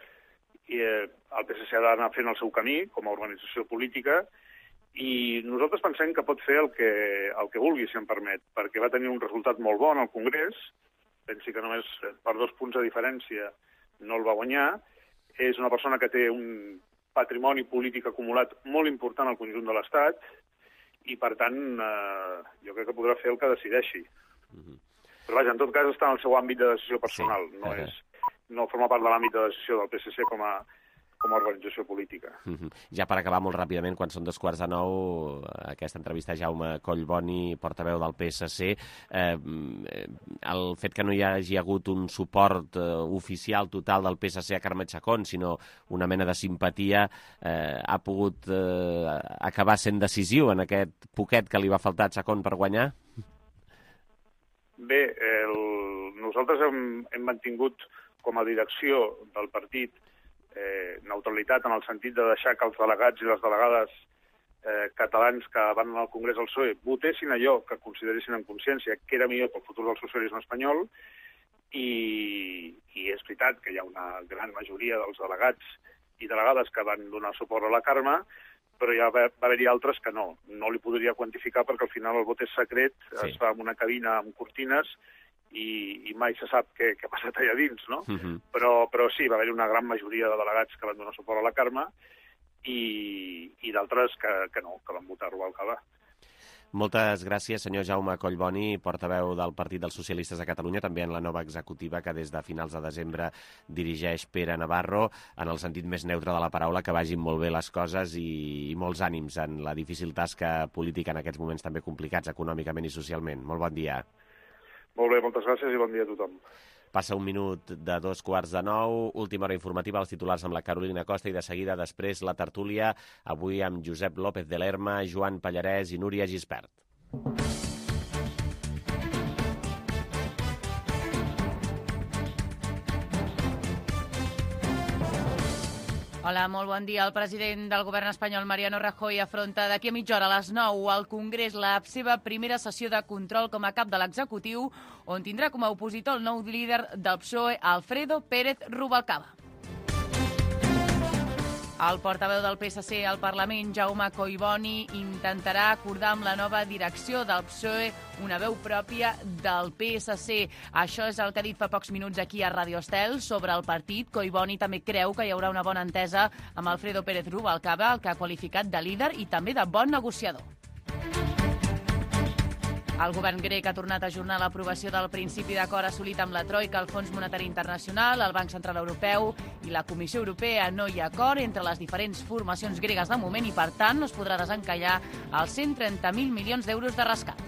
I, eh, el P S C ha d'anar fent el seu camí com a organització política i nosaltres pensem que pot fer el que, el que vulgui, si em permet, perquè va tenir un resultat molt bon al Congrés. Pensi que només per dos punts de diferència no el va guanyar. És una persona que té un patrimoni polític acumulat molt important al conjunt de l'Estat i, per tant, eh, jo crec que podrà fer el que decideixi. Mm-hmm. Però vaja, en tot cas està en el seu àmbit de decisió personal, sí. no, és, no forma part de l'àmbit de decisió del P S C com a, com a organització política. Mm-hmm. Ja per acabar molt ràpidament, quan són dos quarts de nou, aquesta entrevista a Jaume Collboni, portaveu del P S C, eh, el fet que no hi hagi hagut un suport eh, oficial total del P S C a Carme Chacón, sinó una mena de simpatia, eh, ha pogut eh, acabar sent decisiu en aquest poquet que li va faltar a Chacón per guanyar? Bé, el... nosaltres hem, hem mantingut com a direcció del partit eh, neutralitat en el sentit de deixar que els delegats i les delegades eh, catalans que van al Congrés del P S O E votessin allò que consideressin en consciència que era millor pel futur del socialisme espanyol i, i és veritat que hi ha una gran majoria dels delegats i delegades que van donar suport a la Carme, però ja va, va haver-hi altres que no. No li podria quantificar perquè al final el vot és secret, sí. Es fa en una cabina amb cortines i, i mai se sap què, què ha passat allà dins, no? Uh-huh. Però, però sí, va haver-hi una gran majoria de delegats que van donar suport a la Carme i, i d'altres que, que no, que van votar Rubalcaba. Moltes gràcies, senyor Jaume Collboni, portaveu del Partit dels Socialistes de Catalunya, també en la nova executiva que des de finals de desembre dirigeix Pere Navarro, en el sentit més neutre de la paraula, que vagin molt bé les coses i, i molts ànims en la difícil tasca política en aquests moments també complicats econòmicament i socialment. Molt bon dia. Molt bé, moltes gràcies i bon dia a tothom. Passa un minut de dos quarts de nou, última hora informativa, els titulars amb la Carolina Costa i de seguida després la tertúlia, avui amb Josep López de Lerma, Joan Pallarès i Núria Gispert. Hola, molt bon dia. El president del govern espanyol, Mariano Rajoy, afronta d'aquí a mitja hora a les nou al Congrés la seva primera sessió de control com a cap de l'executiu, on tindrà com a opositor el nou líder del P S O E, Alfredo Pérez Rubalcaba. El portaveu del P S C al Parlament, Jaume Collboni, intentarà acordar amb la nova direcció del P S O E una veu pròpia del P S C. Això és el que ha dit fa pocs minuts aquí a Radio Estel sobre el partit. Collboni també creu que hi haurà una bona entesa amb Alfredo Pérez Rubalcaba, el que ha qualificat de líder i també de bon negociador. El govern grec ha tornat a ajornar l'aprovació del principi d'acord assolit amb la Troika, el Fons Monetari Internacional, el Banc Central Europeu i la Comissió Europea. No hi ha acord entre les diferents formacions gregues de moment i, per tant, no es podrà desencallar els cent trenta mil milions d'euros de rescat.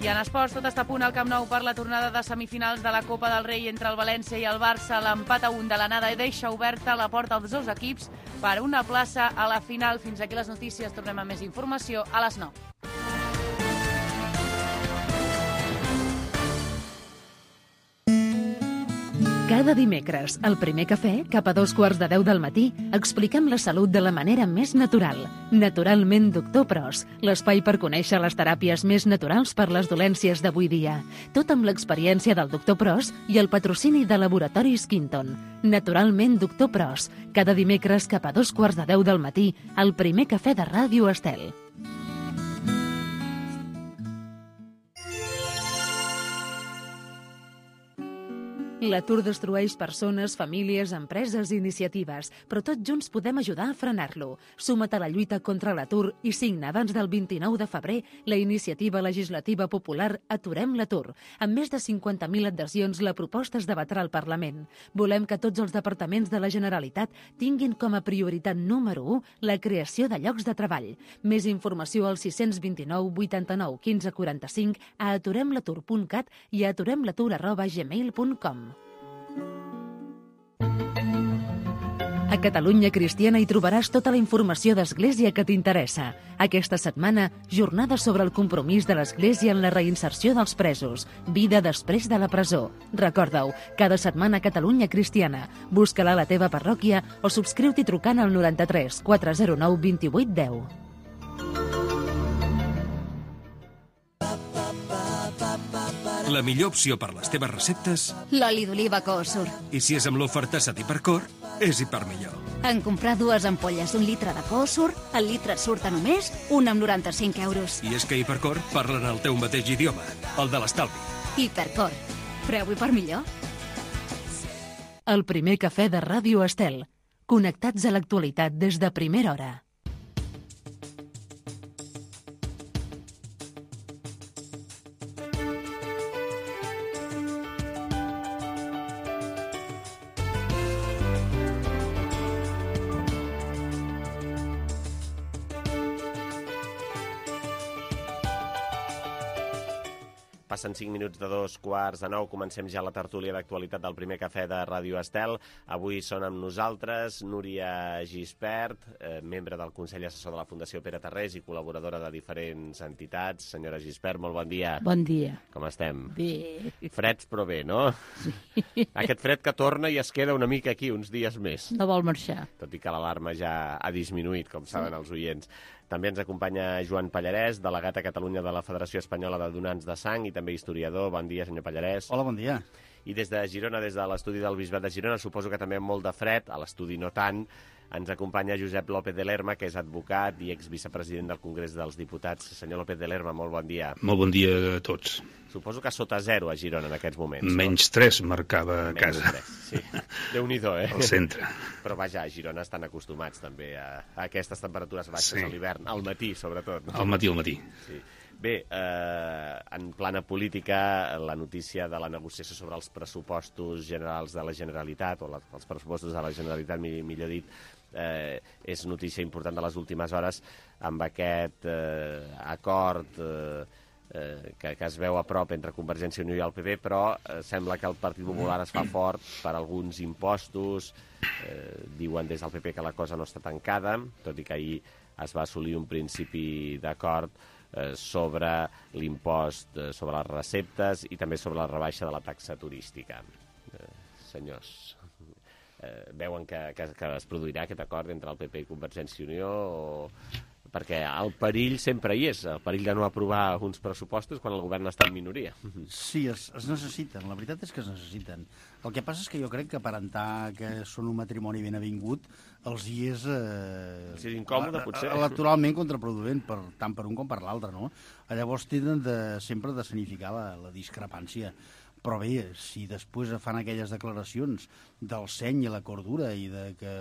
I en esports, tot està a punt al Camp Nou per la tornada de semifinals de la Copa del Rei entre el València i el Barça. L'empat a un de l'anada deixa oberta la porta als dos equips per una plaça a la final. Fins aquí les notícies. Tornem amb més informació a les nou. Cada dimecres, al Primer Cafè, cap a dos quarts de deu del matí, expliquem la salut de la manera més natural. Naturalment Doctor Pros, l'espai per conèixer les teràpies més naturals per les dolències d'avui dia. Tot amb l'experiència del Doctor Pros i el patrocini de Laboratoris Quinton. Naturalment Doctor Pros, cada dimecres cap a dos quarts de deu del matí, al Primer Cafè de Ràdio Estel. L'atur destrueix persones, famílies, empreses i iniciatives, però tots junts podem ajudar a frenar-lo. Suma't a la lluita contra l'atur i signa abans del vint-i-nou de febrer la iniciativa legislativa popular Aturem l'atur. Amb més de cinquanta mil adhesions, la proposta es debatrà al Parlament. Volem que tots els departaments de la Generalitat tinguin com a prioritat número u la creació de llocs de treball. Més informació al sis cents vint-i-nou vuitanta-nou quinze quaranta-cinc, a aturem l'atur punt cat i a aturem l'atur arroba gmail punt com. A Catalunya Cristiana hi trobaràs tota la informació d'Església que t'interessa. Aquesta setmana, jornada sobre el compromís de l'Església en la reinserció dels presos. Vida després de la presó. Recorda-ho, cada setmana a Catalunya Cristiana. Busca-la a la teva parròquia o subscriu-t'hi trucant al noranta-tres quatre zero nou vint-i-vuit deu. La millor opció per les teves receptes... L'oli d'oliva Coosur. I si és amb l'oferta Hipercor, és hipermillor. En comprar dues ampolles d'un litre de Coosur, el litre surt a només un amb noranta-cinc euros. I és que Hipercor parlen el teu mateix idioma, el de l'estalvi. Hipercor. Preu hipermillor. El Primer Cafè de Ràdio Estel. Connectats a l'actualitat des de primera hora. passen cinc minuts de dos quarts de nou. Comencem ja la tertúlia d'actualitat del primer cafè de Ràdio Estel. Avui són amb nosaltres Núria Gispert, eh, membre del Consell Assessor de la Fundació Pere Tarrés i col·laboradora de diferents entitats. Senyora Gispert, molt bon dia. Bon dia. Com estem? Bé. Freds, però bé, no? Sí. Aquest fred que torna i es queda una mica aquí, uns dies més. No vol marxar. Tot i que l'alarma ja ha disminuït, com saben sí. els oients. També ens acompanya Joan Pallarès, delegat a Catalunya de la Federació Espanyola de Donants de Sang i també historiador. Bon dia, senyor Pallarès. Hola, bon dia. I des de Girona, des de l'estudi del Bisbat de Girona, suposo que també amb molt de fred, a l'estudi no tant, ens acompanya Josep López de Lerma, que és advocat i exvicepresident del Congrés dels Diputats. Senyor López de Lerma, molt bon dia. Molt bon dia a tots. Suposo que sota zero a Girona en aquests moments. Menys no? tres marcava a Menys casa. tres, sí. Déu-n'hi-do, eh? Al centre. Però vaja, a Girona estan acostumats també a, a aquestes temperatures baixes sí. a l'hivern, al matí sobretot. No? Al matí, al matí. Sí. Bé, eh, en plana política, la notícia de la negociació sobre els pressupostos generals de la Generalitat, o la, els pressupostos de la Generalitat, millor dit, eh, és notícia important de les últimes hores amb aquest eh, acord eh, eh, que, que es veu a prop entre Convergència i Unió i el P P, però eh, sembla que el Partit Popular es fa fort per alguns impostos. Eh, diuen des del P P que la cosa no està tancada, tot i que ahir es va assolir un principi d'acord eh, sobre l'impost eh, sobre les receptes i també sobre la rebaixa de la taxa turística. Eh, senyors, eh, veuen que, que, que es produirà aquest acord entre el P P i Convergència i Unió o... perquè el perill sempre hi és, el perill de no aprovar uns pressupostos quan el govern està en minoria. Sí, es, es necessiten, la veritat és que es necessiten. El que passa és que jo crec que aparentar que són un matrimoni ben avingut els hi és... Eh, sí, incòmode, potser. Electoralment contraproduent, per, tant per un com per l'altre, no? Llavors tenen de, sempre de significar la, la discrepància. Però bé, si després fan aquelles declaracions del seny i la cordura i de que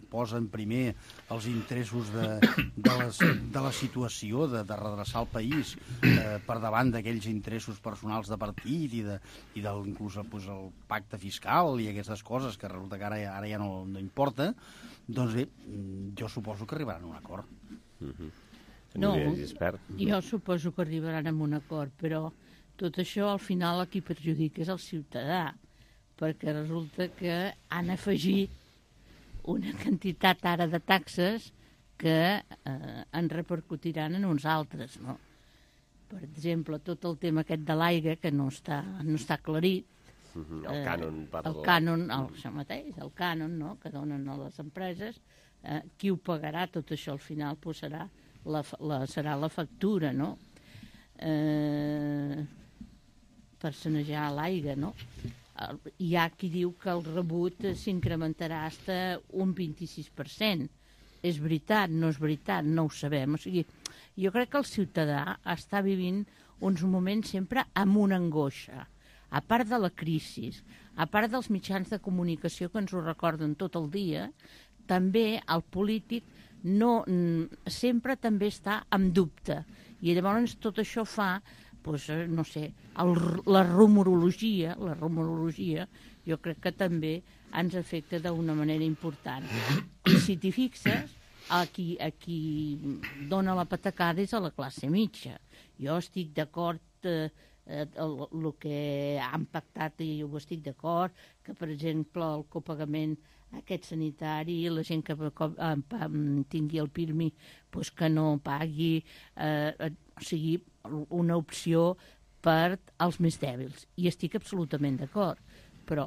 posen primer els interessos de, de, les, de la situació, de, de redreçar el país eh, per davant d'aquells interessos personals de partit i, de, i del, inclús pues, el pacte fiscal i aquestes coses que resulta que ara, ara ja no, no importa, doncs bé, jo suposo que arribaran a un acord. Mm-hmm. No, jo suposo que arribaran a un acord, però tot això, al final, a qui perjudica és el ciutadà, perquè resulta que han afegit una quantitat ara de taxes que eh, en repercutiran en uns altres, no? Per exemple, tot el tema aquest de l'aigua, que no està, no està aclarit. Mm-hmm. El cànon. Eh, el cànon, el, això mateix, el cànon, no?, que donen a les empreses. Eh, qui ho pagarà, tot això, al final, pues, serà, la, la, serà la factura, no? Eh... per sanejar l'aigua, no? Hi ha qui diu que el rebut s'incrementarà fins un vint-i-sis per cent. És veritat, no és veritat, no ho sabem. O sigui, jo crec que el ciutadà està vivint uns moments sempre amb una angoixa. A part de la crisi, a part dels mitjans de comunicació que ens ho recorden tot el dia, també el polític no, sempre també està en dubte. I llavors tot això fa... Pues, no sé, el, la rumorologia, la rumorologia, jo crec que també ens afecta d'una manera important. I si t'hi fixes, a qui, a qui dona la patacada és a la classe mitja. Jo estic d'acord eh, el, el que han pactat, i jo estic d'acord, que, per exemple, el copagament aquest sanitari, la gent que tingui el pirmi, pues que no pagui, eh, o sigui, una opció per als més dèbils. I estic absolutament d'acord, però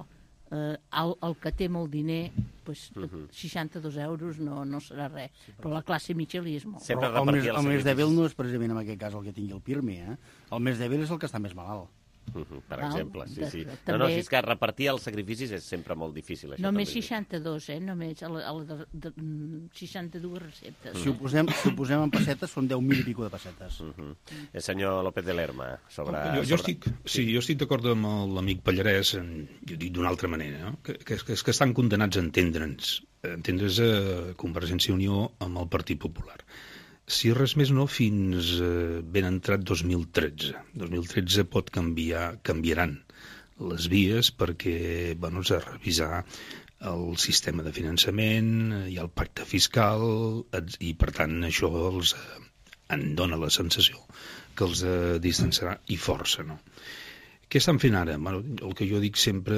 eh, el, el que té molt diner, pues, uh-huh. seixanta-dos euros no, no serà res, sí, però la classe mitja li és molt. Però el, més, el més dèbil no és precisament en aquest cas el que tingui el pirmi, eh? El més dèbil és el que està més malalt. Uh-huh, per Val, exemple, sí, sí. De, no, no, si és que repartir els sacrificis és sempre molt difícil. Això només seixanta-dos, eh? Només a la, a la de, de, seixanta-dues receptes. Si ho posem, si ho posem en pessetes, són deu mil i pico de pessetes. Uh-huh. El senyor López de Lerma, sobre... Jo, jo estic, sí, jo estic d'acord amb l'amic Pallarès, en, jo dic d'una altra manera, no? que, que, que, que estan condenats a entendre'ns, a entendre's a Convergència i Unió amb el Partit Popular. Si res més no, fins eh, ben entrat dos mil tretze. dos mil tretze pot canviar, canviaran les vies perquè, bueno, s'ha de revisar el sistema de finançament, hi ha el pacte fiscal, i per tant això els em dona la sensació que els eh, distanciarà i força, no? Què estan fent ara? Bueno, el que jo dic sempre,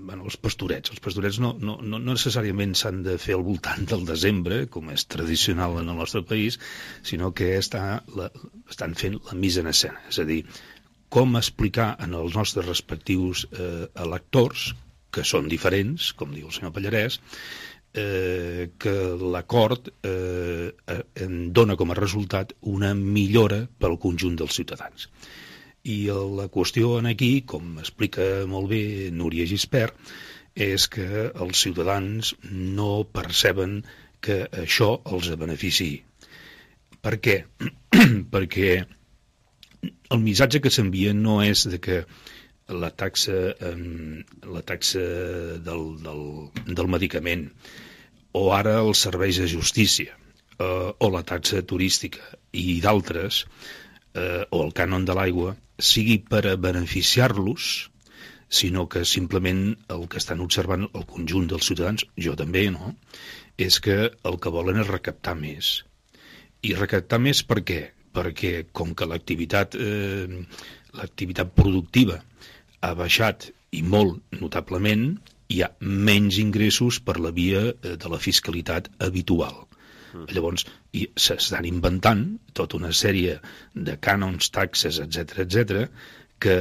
bueno, els pastorets. Els pastorets no, no, no necessàriament s'han de fer al voltant del desembre, com és tradicional en el nostre país, sinó que està la, estan fent la mise en escena. És a dir, com explicar en els nostres respectius eh, electors, que són diferents, com diu el senyor Pallarès, eh, que l'acord eh, en dona com a resultat una millora pel conjunt dels ciutadans. I la qüestió aquí, com explica molt bé Núria Gispert, és que els ciutadans no perceben que això els beneficiï. Per què? Perquè el missatge que s'envia no és de que la taxa, la taxa del, del, del medicament o ara els serveis de justícia eh, o la taxa turística i d'altres eh, o el cànon de l'aigua sigui per a beneficiar-los, sinó que simplement el que estan observant el conjunt dels ciutadans, jo també, no?, és que el que volen és recaptar més. I recaptar més per què? Perquè com que l'activitat eh, l'activitat productiva ha baixat i molt notablement, hi ha menys ingressos per la via de la fiscalitat habitual. Llavors, s'estan inventant tota una sèrie de cànons, taxes, etcètera, etcètera, que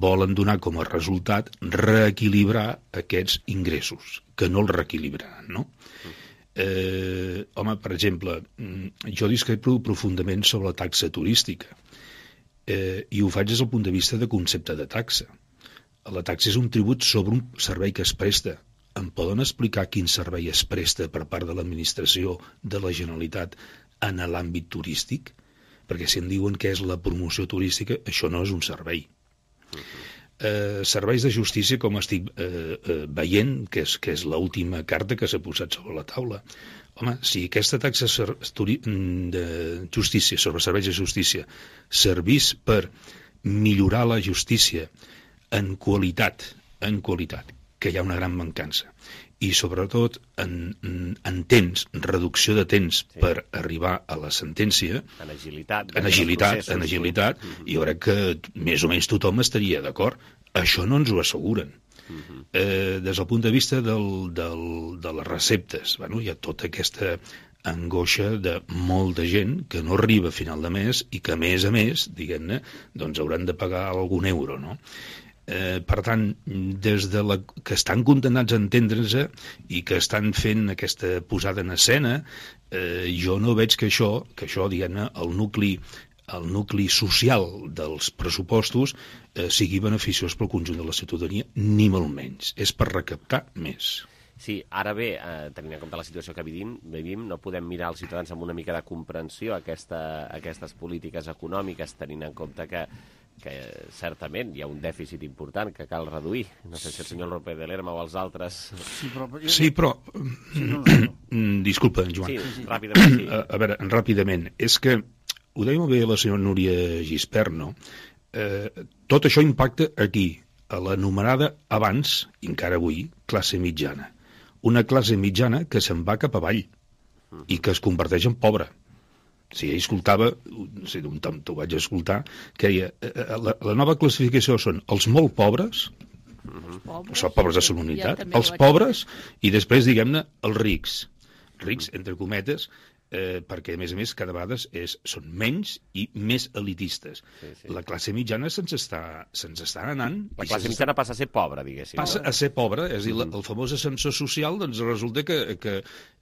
volen donar com a resultat reequilibrar aquests ingressos, que no els reequilibraran, no? Eh, home, per exemple, jo discrepo profundament sobre la taxa turística, eh, i ho faig des del punt de vista de concepte de taxa. La taxa és un tribut sobre un servei que es presta. Em poden explicar quin servei es presta per part de l'administració de la Generalitat en l'àmbit turístic? Perquè si em diuen què és la promoció turística, això no és un servei. Uh-huh. Eh, serveis de justícia, com estic eh, eh, veient, que és, que és l'última carta que s'ha posat sobre la taula. Home, si aquesta taxa de justícia sobre serveis de justícia servís per millorar la justícia en qualitat, en qualitat, que hi ha una gran mancança, i sobretot en, en temps, reducció de temps sí. per arribar a la sentència, en agilitat, en agilitat, en agilitat sí. Jo crec que més o menys tothom estaria d'acord. Això no ens ho asseguren. Uh-huh. Eh, des del punt de vista del, del, de les receptes, bueno, hi ha tota aquesta angoixa de molta gent que no arriba a final de mes i que, a més a més, diguem-ne, doncs hauran de pagar algun euro, no? Eh, per tant, des de la, que estan condemnats a entendre-se i que estan fent aquesta posada en escena, eh, jo no veig que això, que això diguem-ne, el nucli, el nucli social dels pressupostos eh, sigui beneficiós pel conjunt de la ciutadania, ni molt menys. És per recaptar més. Sí, ara bé, eh, tenint en compte la situació que vivim, vivim, no podem mirar els ciutadans amb una mica de comprensió a aquesta, aquestes polítiques econòmiques, tenint en compte que que certament hi ha un dèficit important que cal reduir. No sé si el senyor López de Lerma o els altres... Sí, però... Sí, però... Sí, no, no, no. Disculpa, Joan. Sí, sí. Ràpidament, sí. A, a veure, ràpidament. És que, ho deia molt bé la senyora Núria Gispert, no? Eh, tot això impacta aquí, a l'anomenada abans, i encara avui, classe mitjana. Una classe mitjana que se'n va cap avall i que es converteix en pobra. Si ell escoltava, no sé, un tom t'ho vaig escoltar, que deia, la, la nova classificació són els molt pobres, els pobres, els pobres de solidaritat, ja els pobres, i després, diguem-ne, els rics. Rics, entre cometes, eh, perquè, a més a més, cada vegada és, són menys i més elitistes. Sí, sí. La classe mitjana se'ns està, se'ns està anant... La classe mitjana passa a ser pobra, diguéssim. Passa no? a ser pobra, és a dir, mm. el famós ascensor social, doncs resulta que, que,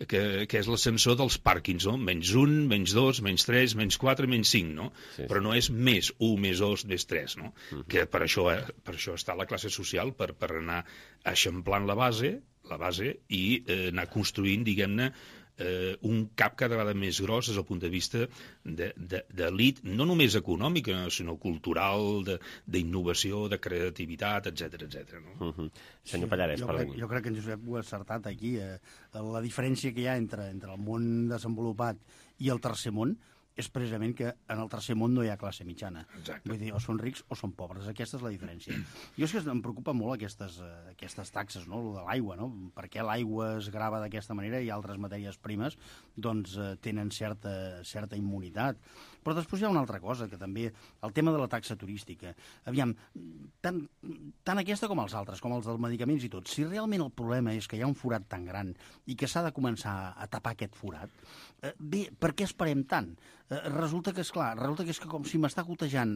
que, que és l'ascensor dels pàrquings, no? Menys un, menys dos, menys tres, menys quatre, menys cinc, no? Sí, sí. Però no és més un, més dos, més tres, no? Mm. Que per això, per això està la classe social, per, per anar eixamplant la base, la base i eh, anar construint, diguem-ne, Eh, un cap cada vegada més gros des del punt de vista d'elit, no només econòmica, sinó cultural, d'innovació, de, de creativitat, etcètera, etcètera. No? Uh -huh. Senyor Pallarès, sí, jo, crec, jo crec que en Josep ho ha acertat aquí. Eh, la diferència que hi ha entre, entre el món desenvolupat i el tercer món és precisament que en el tercer món no hi ha classe mitjana. Exacte. Vull dir, o són rics o són pobres, aquesta és la diferència. Jo és que em preocupa molt aquestes, uh, aquestes taxes, no?, lo de l'aigua, no? Per què l'aigua es grava d'aquesta manera i altres matèries primes doncs uh, tenen certa, certa immunitat. Però després hi ha una altra cosa, que també, el tema de la taxa turística. Aviam, tant, tant aquesta com els altres, com els dels medicaments i tot, si realment el problema és que hi ha un forat tan gran i que s'ha de començar a tapar aquest forat, eh, bé, per què esperem tant? Eh, resulta que, és clar, resulta que és que com si m'està gotejant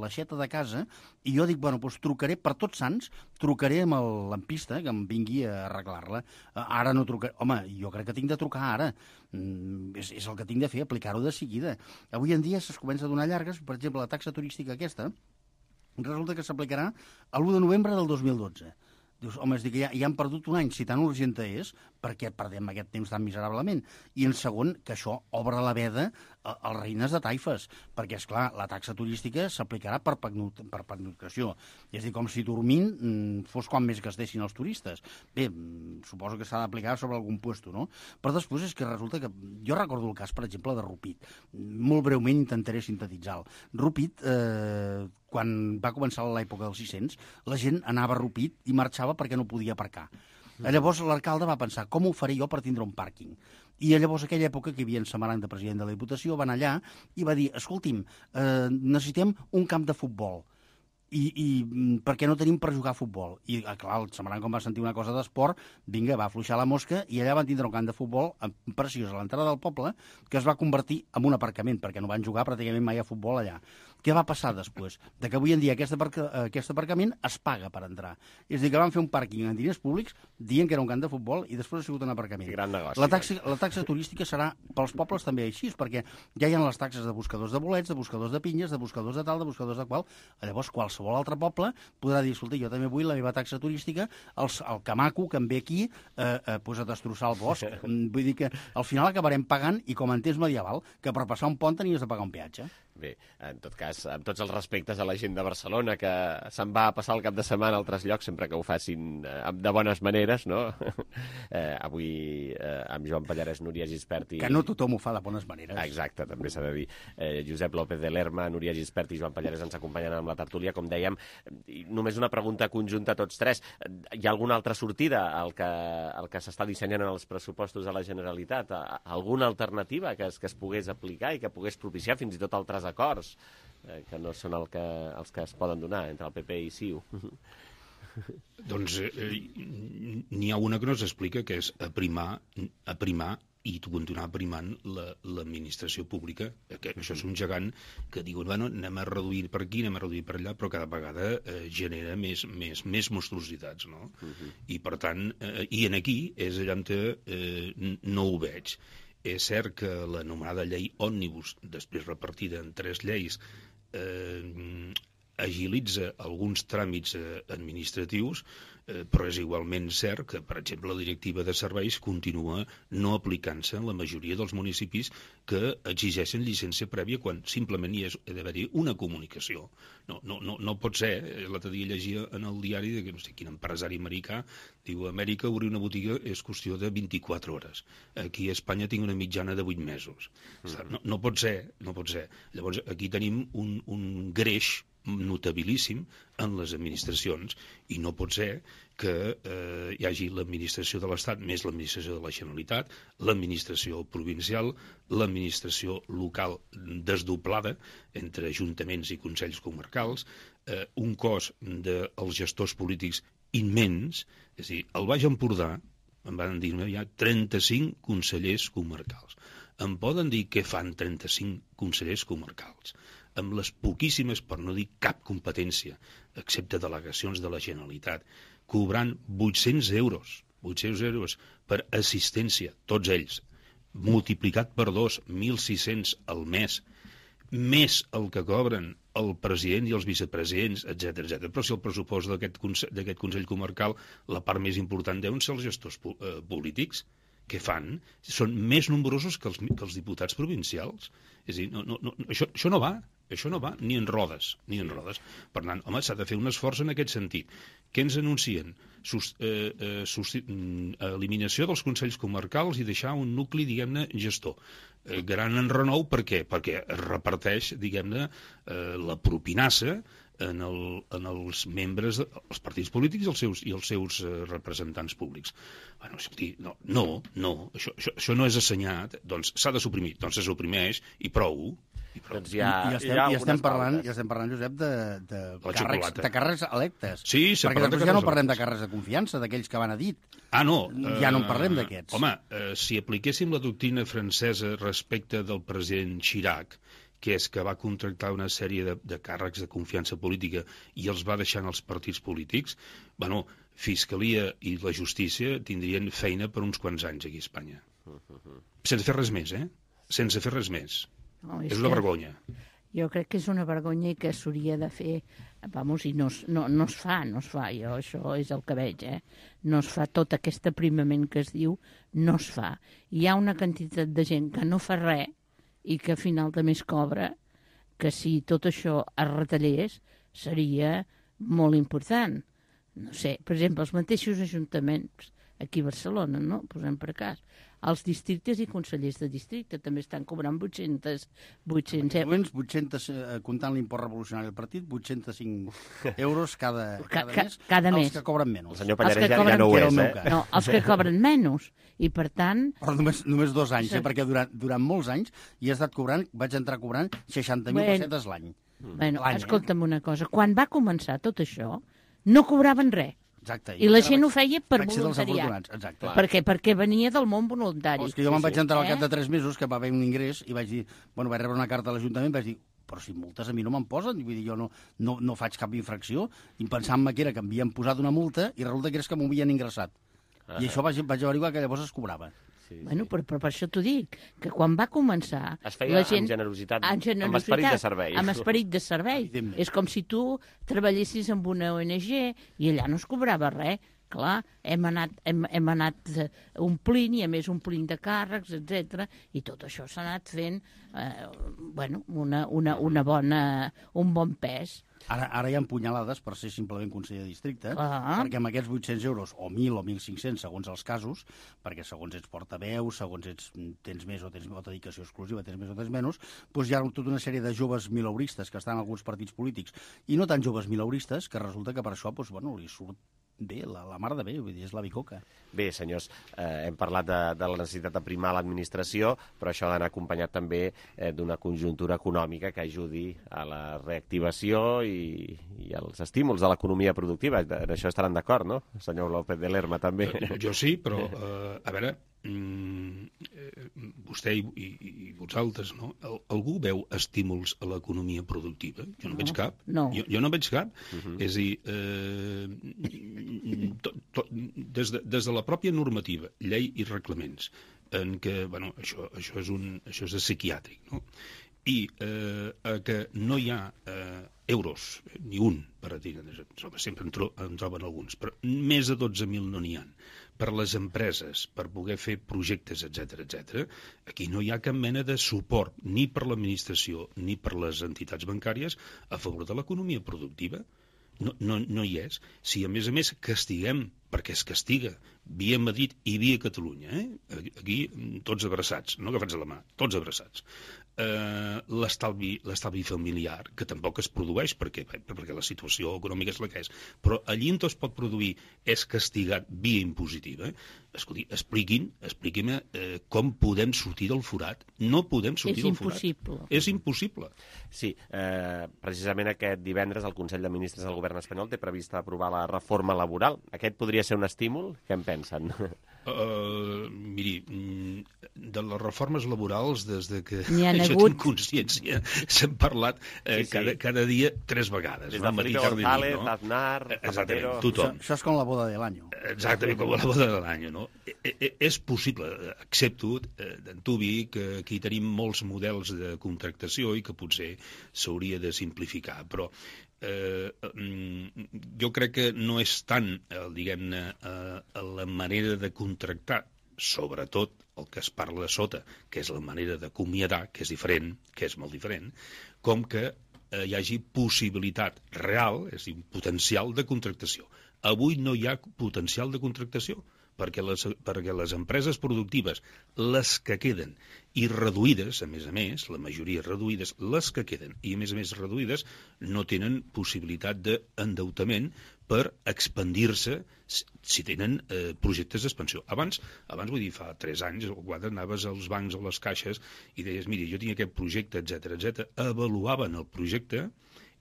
l'aixeta de casa i jo dic, bueno, doncs trucaré per Tots Sants, trucaré amb el lampista que em vingui a arreglar-la. Eh, ara no trucaré... Home, jo crec que tinc de trucar ara. Mm, és, és el que tinc de fer, aplicar-ho de seguida. Avui en dia es comença a donar llargues, per exemple, la taxa turística aquesta, resulta que s'aplicarà l'u de novembre del dos mil dotze. Dius, home, és dir que ja, ja han perdut un any, si tan urgent és, perquè perdem aquest temps tan miserablement. I en segon, que això obre la veda als reines de taifes, perquè, és clar, la taxa turística s'aplicarà per, per pernoctació. És a dir, com si dormint fos quan més gastessin els turistes. Bé, suposo que s'ha d'aplicar sobre algun puesto, no? Però després és que resulta que... Jo recordo el cas, per exemple, de Rupit. Molt breument intentaré sintetitzar-lo. Rupit, eh, quan va començar l'època dels sis-cents, la gent anava a Rupit i marxava perquè no podia aparcar. Llavors l'alcalde va pensar, com ho faré jo per tindre un pàrquing? I llavors, aquella època que hi havia en Samaranc de president de la Diputació, van allà i va dir, escolti'm, eh, necessitem un camp de futbol. I, i perquè no tenim per jugar a futbol. I, clar, el Samaranc, com va sentir una cosa d'esport, vinga, va afluixar la mosca i allà van tindre un camp de futbol preciós a l'entrada del poble que es va convertir en un aparcament, perquè no van jugar pràcticament mai a futbol allà. Què va passar després? De que avui en dia aquest, aparca, aquest aparcament es paga per entrar. És a dir, que van fer un pàrquing en diners públics dient que era un camp de futbol i després ha sigut un aparcament. Gran negoci. La taxa, la taxa turística serà pels pobles també així, perquè ja hi ha les taxes de buscadors de bolets, de buscadors de pinyes, de buscadors de tal, de buscadors de qual. Llavors, qualsevol altre poble podrà dir, escolta, jo també vull la meva taxa turística, el, el camaco que em ve aquí eh, eh, pues a destrossar el bosc. Vull dir que al final acabarem pagant, i com en temps medieval, que per passar un pont tenies de pagar un peatge. Bé, en tot cas, amb tots els respectes a la gent de Barcelona, que se'n va a passar el cap de setmana a altres llocs, sempre que ho facin eh, de bones maneres, no? eh, avui eh, amb Joan Pallarès, Núria Gispert i... Que no tothom ho fa de bones maneres. Exacte, també s'ha de dir. Eh, Josep López de Lerma, Núria Gispert i Joan Pallarès ens acompanyen amb la tertúlia, com dèiem. I només una pregunta conjunta a tots tres. Hi ha alguna altra sortida al que, al que s'està dissenyant en els pressupostos de la Generalitat? Alguna alternativa que es, que es pogués aplicar i que pogués propiciar fins i tot altres acords eh, que no són el que, els que es poden donar entre el P P i C I U? Doncs eh, n'hi ha una que no s'explica, que és aprimar, aprimar i continuar primant l'administració pública, que això és un gegant que diuen, bueno, anem a reduir per aquí, anem a reduir per allà, però cada vegada eh, genera més, més, més monstruositats, no? Uh-huh. I per tant, eh, i en aquí és allà on eh, no ho veig. És cert que l'anomenada llei òmnibus, després repartida en tres lleis, eh, agilitza alguns tràmits eh, administratius, eh, però és igualment cert que, per exemple, la directiva de serveis continua no aplicant-se en la majoria dels municipis que exigeixen llicència prèvia quan simplement hi ha d'haver-hi una comunicació. No, no, no, no pot ser. L'altre dia llegia en el diari de que no sé quin empresari americà diu, a Amèrica obrir una botiga és qüestió de vint-i-quatre hores. Aquí a Espanya tinc una mitjana de vuit mesos. Mm. No, no pot ser, no pot ser. Llavors, aquí tenim un, un greix notabilíssim en les administracions i no pot ser que eh, hi hagi l'administració de l'Estat més l'administració de la Generalitat, l'administració provincial, l'administració local desdoblada entre ajuntaments i consells comarcals, eh, un cos dels gestors polítics immens, és a dir, al Baix Empordà em van dir que hi ha trenta-cinc consellers comarcals. Em poden dir què fan trenta-cinc consellers comarcals? Amb les poquíssimes, per no dir cap competència, excepte delegacions de la Generalitat, cobrant vuit-cents euros, vuit-cents euros per assistència, tots ells, multiplicat per dos, mil sis-cents al mes, més el que cobren el president i els vicepresidents, etcètera, etcètera. Però si el pressupost d'aquest Consell, d'aquest Consell Comarcal, la part més important deuen ser els gestors eh, polítics, que fan, són més nombrosos que els, que els diputats provincials. És a dir, no, no, no, això, això no va. Això no va ni en rodes, ni en rodes. Per tant, home, s'ha de fer un esforç en aquest sentit. Què ens anuncien? Sus, eh, eh, sus, eliminació dels consells comarcals i deixar un nucli, diguem-ne, gestor. Eh, gran enrenou, per què? Perquè es reparteix, diguem-ne, eh, la propinassa en, el, en els membres dels partits polítics i els seus, i els seus eh, representants públics. Bueno, escolti, no, no, no això, això, això no és assenyat, doncs s'ha de suprimir, doncs se suprimeix i prou. I, doncs ja, I, estem, ja i estem parlant, ja estem parlant, Josep, de, de, càrrecs, de càrrecs electes. Sí, perquè després ja no parlem de càrrecs de confiança, d'aquells que van a dit. Ah, no. Ja no en parlem d'aquests. Uh, home, uh, si apliquéssim la doctrina francesa respecte del president Chirac, que és que va contractar una sèrie de, de càrrecs de confiança política i els va deixar en els partits polítics, bueno, Fiscalia i la Justícia tindrien feina per uns quants anys aquí a Espanya. Sense fer res més, eh? Sense fer res més. No, és, és una vergonya. Jo crec que és una vergonya i que s'hauria de fer, vamos, i no, no, no es fa, no es fa, jo això és el que veig, eh? No es fa tot aquest aprimament que es diu, no es fa. Hi ha una quantitat de gent que no fa res i que al final també es cobra, que si tot això es retallés seria molt important. No sé, per exemple, els mateixos ajuntaments aquí a Barcelona, no? Posem per cas. Els districtes i consellers de districte també estan cobrant vuit-cents... vuit-cents vuit-cents, eh, comptant l'import revolucionari del partit, vuit-cents cinc euros cada, cada Ca, mes. Cada els mes. que cobren menys. El senyor Pallarès ja, ja no ho és, eh? No, els que cobren menys. I, per tant... Però només, només dos anys, eh? Perquè durant, durant molts anys hi he estat cobrant, vaig entrar cobrant seixanta mil bueno, pessetes l'any. Bueno, escolta'm una cosa. Quan va començar tot això, no cobraven res. Exacte. I, I la gent vaig, ho feia per voluntariat. Exacte. Perquè, perquè venia del món voluntari. Oh, és que jo me'n vaig entrar al cap de tres mesos, que va haver un ingrés, i vaig dir, bueno, vaig rebre una carta a l'Ajuntament, vaig dir, però si multes a mi no me'n posen, vull dir, jo no, no, no faig cap infracció, i pensant-me que era que m'havien posat una multa, i resulta que és que m'ho havien ingressat. Ah. I això vaig, vaig averiguar que llavors es cobrava. Sí, sí. Bueno, però, però per això t'ho dic, que quan va començar... Es feia la gent, amb generositat, amb generositat, amb esperit de servei. Amb esperit de servei. És com si tu treballessis amb una O N G i allà no es cobrava res. Clar, hem anat, hem, hem anat omplint, i a més omplint de càrrecs, etcètera, i tot això s'ha anat fent eh, bueno, una, una, una bona, un bon pes. Ara, ara hi ha punyalades per ser simplement conseller de districte, ah. perquè amb aquests vuit-cents euros, o mil o mil cinc-cents, segons els casos, perquè segons ets portaveu, segons ets, tens més o tens o dedicació exclusiva, tens més o tens menys, doncs hi ha tota una sèrie de joves milauristes que estan en alguns partits polítics, i no tan joves milauristes, que resulta que per això doncs, bueno, li surt bé, la, la mar de bé, vull dir, és la bicoca. Bé, senyors, eh, hem parlat de, de la necessitat d'aprimar l'administració, però això ha d'anar acompanyat també eh, d'una conjuntura econòmica que ajudi a la reactivació i, i als estímuls de l'economia productiva. En això estaran d'acord, no? Senyor López de Lerma, també. Jo, jo sí, però, eh, a veure, mm, eh, vostè i, i, i vosaltres, no? Algú veu estímuls a l'economia productiva? Jo no, no veig cap. No. Jo, jo no veig cap. Uh-huh. És a dir, eh, tot, tot, des, de, des de la pròpia normativa, llei i reglaments, en què, bueno, això, això és un, això és psiquiàtric, no? I eh, que no hi ha eh, euros, ni un, per a dir, sempre en, tro, en troben alguns, però més de dotze mil no n'hi ha, per les empreses, per poder fer projectes, etcètera, etcètera, aquí no hi ha cap mena de suport, ni per l'administració, ni per les entitats bancàries, a favor de l'economia productiva. No, no, no hi és. Si, a més a més, castiguem, perquè es castiga, via Madrid i via Catalunya, eh? Aquí tots abraçats, no agafats a la mà, tots abraçats. Eh, l'estalvi, l'estalvi familiar, que tampoc es produeix perquè, perquè la situació econòmica és la que és, però allí on es pot produir és castigat via impositiva. Escolti, expliquin, expliquin eh, com podem sortir del forat. No podem sortir és del forat. Impossible. És impossible. Sí, eh, precisament aquest divendres el Consell de Ministres del Govern espanyol té previst aprovar la reforma laboral. Aquest podria ser un estímul? Què en pensen? Uh, miri, de les reformes laborals, des de que jo hagut... tinc consciència, s'han parlat eh, sí, sí. Cada, cada dia tres vegades. Des de Felipe González, no? Aznar, Zapatero... Tothom. Això, això és com la boda de l'any. Exactament, com la boda de l'any, no? E, e, és possible, accepto eh, d'antubi que aquí tenim molts models de contractació i que potser s'hauria de simplificar, però eh, jo crec que no és tant, eh, diguem-ne, eh, la manera de contractar, sobretot el que es parla de sota, que és la manera d'acomiadar, que és diferent, que és molt diferent, com que eh, hi hagi possibilitat real, és a dir, potencial de contractació. Avui no hi ha potencial de contractació, perquè les, perquè les empreses productives, les que queden, i reduïdes, a més a més, la majoria reduïdes, les que queden, i a més a més reduïdes, no tenen possibilitat d'endeutament per expandir-se si tenen eh, projectes d'expansió. Abans, abans, vull dir, fa tres anys, quan anaves als bancs o les caixes i deies, mira, jo tinc aquest projecte, etcètera, etcètera, avaluaven el projecte,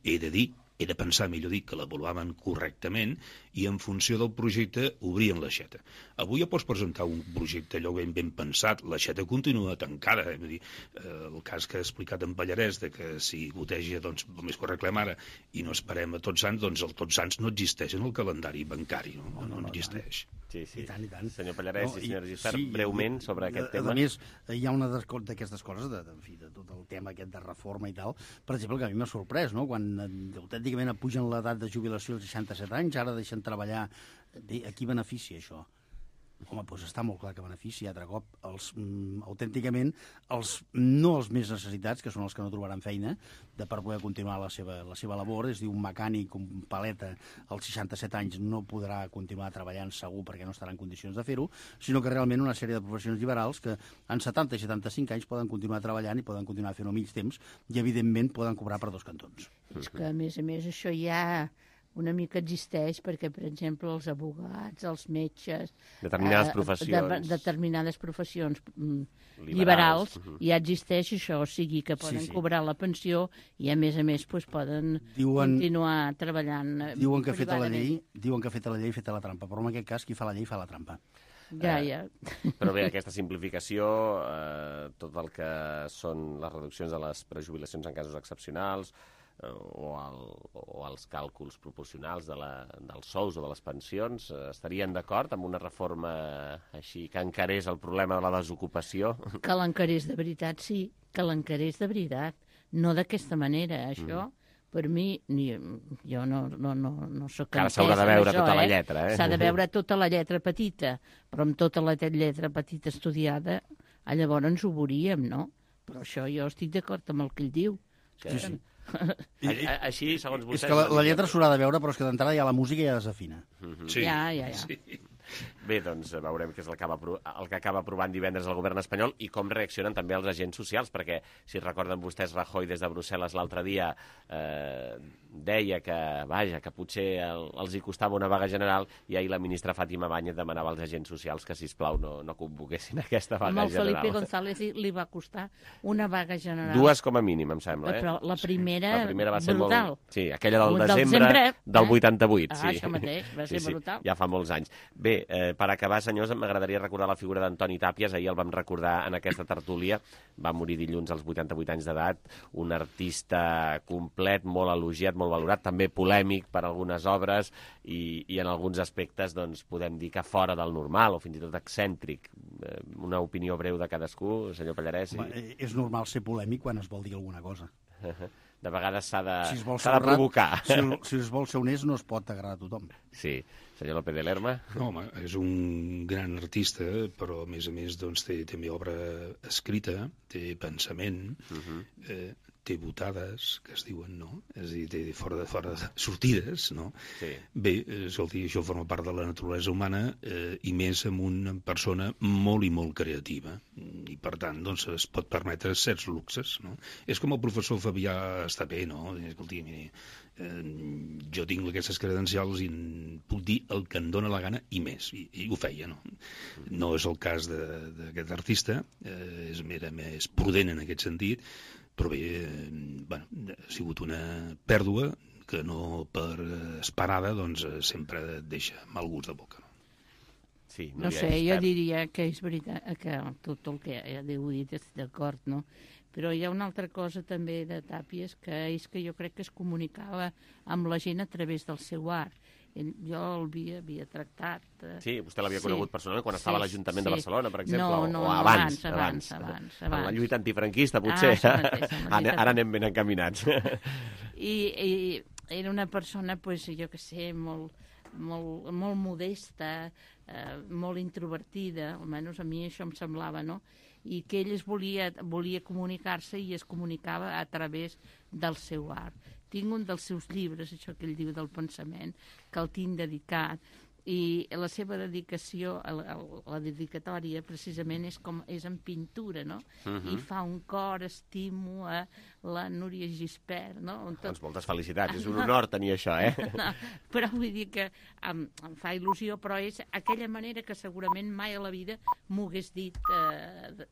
he de dir, he de pensar, millor dit, que l'avaluaven correctament i en funció del projecte obrien l'aixeta. Avui ja pots presentar un projecte allò ben, ben pensat, l'aixeta continua tancada. Eh? Vull dir, eh, el cas que ha explicat en Pallarès, de que si goteja, doncs, només que ho reclem ara i no esperem a Tots Sants, doncs el Tots Sants no existeix en el calendari bancari, no, no, no, no existeix. Sí, sí. I tant, i tant. Senyor Pallarès no, i senyora Gispert, sí, breument sobre a, aquest a, tema. A més, hi ha una d'aquestes coses, de, de, en fi, de tot el tema aquest de reforma i tal, per exemple, que a mi m'ha sorprès, no? Quan eh, autènticament pugen l'edat de jubilació als seixanta-set anys, ara deixen treballar. Bé, a qui beneficia això? Home, doncs està molt clar que beneficia, altre cop, els, mm, autènticament, els, no els més necessitats, que són els que no trobaran feina, de per poder continuar la seva, la seva labor. És a dir, un mecànic, un paleta, als seixanta-set anys no podrà continuar treballant segur perquè no estarà en condicions de fer-ho, sinó que realment una sèrie de professions liberals que en setanta i setanta-cinc anys poden continuar treballant i poden continuar fent-ho a mig temps i, evidentment, poden cobrar per dos cantons. És que, a més a més, això ja una mica existeix perquè, per exemple, els abogats, els metges... Determinades eh, professions. De, determinades professions mm, liberals, liberals, uh -huh. ja existeix això, o sigui que poden sí, sí. cobrar la pensió i, a més a més, doncs, poden diuen, continuar treballant diuen que feta la llei, Diuen que feta la llei, feta la trampa, però en aquest cas qui fa la llei fa la trampa. Ja, ja. Eh, però bé, aquesta simplificació, eh, tot el que són les reduccions de les prejubilacions en casos excepcionals, o, el, o els càlculs proporcionals de la, dels sous o de les pensions, estarien d'acord amb una reforma així que encarés el problema de la desocupació? Que l'encarés de veritat, sí, que l'encarés de veritat, no d'aquesta manera, això... Mm. Per mi, ni, jo no, no, no, no soc Ara s'haurà de veure això, tota eh? la lletra, eh? S'ha de veure tota la lletra petita, però amb tota la lletra petita estudiada, llavors ho veuríem, no? Però això jo estic d'acord amb el que ell diu. Sí, sí. A, així, segons vostès... És que la, la lletra s'haurà de veure, però és que d'entrada ja la música ja desafina. Mm-hmm. Sí. Ja, ja, ja. Sí. Bé, doncs veurem què és el que, acaba, el que acaba aprovant divendres el govern espanyol i com reaccionen també els agents socials, perquè, si recorden vostès, Rajoy des de Brussel·les l'altre dia eh, deia que, vaja, que potser el, els hi costava una vaga general, i ahir la ministra Fàtima Báñez demanava als agents socials que, sisplau, no, no convoquessin aquesta vaga general. Amb el general. Felipe González li va costar una vaga general. Dues com a mínim, em sembla. Eh? Però la primera, la primera va ser brutal. Molt... Sí, aquella del, del desembre, desembre del eh? vuitanta-vuit. Ah, sí. això mateix, va ser sí, sí, brutal. Ja fa molts anys. Bé, eh, per acabar, senyors, m'agradaria recordar la figura d'Antoni Tàpies. Ahir el vam recordar en aquesta tertúlia. Va morir dilluns als vuitanta-vuit anys d'edat. Un artista complet, molt elogiat, molt valorat, també polèmic per algunes obres i, i en alguns aspectes doncs, podem dir que fora del normal o fins i tot excèntric. Eh, una opinió breu de cadascú, senyor Pallarès. Home, i... És normal ser polèmic quan es vol dir alguna cosa. De vegades s'ha de, si de provocar. Si, si es vol ser honest no es pot agradar a tothom. Sí. Senyor López de Lerma? No, home, és un gran artista, però a més a més doncs, té també obra escrita, té pensament, uh-huh. eh, té botades, que es diuen, no? És a dir, té fora de, fora de sortides, no? Sí. Bé, escolti, això forma part de la naturalesa humana eh, i més amb una persona molt i molt creativa. I, per tant, doncs, es pot permetre certs luxes, no? És com el professor Fabià Estapé, no? Escolti, miri, eh, jo tinc aquestes credencials i puc dir el que em dóna la gana i més, i, i ho feia, no? No és el cas d'aquest artista, eh, és més prudent en aquest sentit, però bé, eh, bueno, ha sigut una pèrdua que no per esperada doncs, sempre et deixa mal gust de boca. No, sí, no sé, jo diria que és veritat que tot el que ja heu dit estic d'acord, no? Però hi ha una altra cosa també de Tàpies, que és que jo crec que es comunicava amb la gent a través del seu art. Jo l'havia havia tractat... Eh... Sí, vostè l'havia sí. conegut personalment quan estava sí, a l'Ajuntament sí. de Barcelona, per exemple, no, no, o, o no, abans, abans, abans, abans, abans. En la lluita antifranquista, potser. Ah, mateix, ara, ara anem ben encaminats. I, i era una persona, pues, jo que sé, molt, molt, molt modesta, eh, molt introvertida, almenys a mi això em semblava, no? I que ell es volia, volia comunicar-se i es comunicava a través del seu art. Tinc un dels seus llibres, això que ell diu del pensament, que el tinc dedicat, i la seva dedicació, la, la dedicatòria precisament és com és en pintura, no? Uh-huh. I fa un cor, estimo a la Núria Gispert, no? Tot... Doncs moltes felicitats, és un honor tenir això, eh? No, però vull dir que em, em fa il·lusió, però és aquella manera que segurament mai a la vida m'ho hagués dit eh,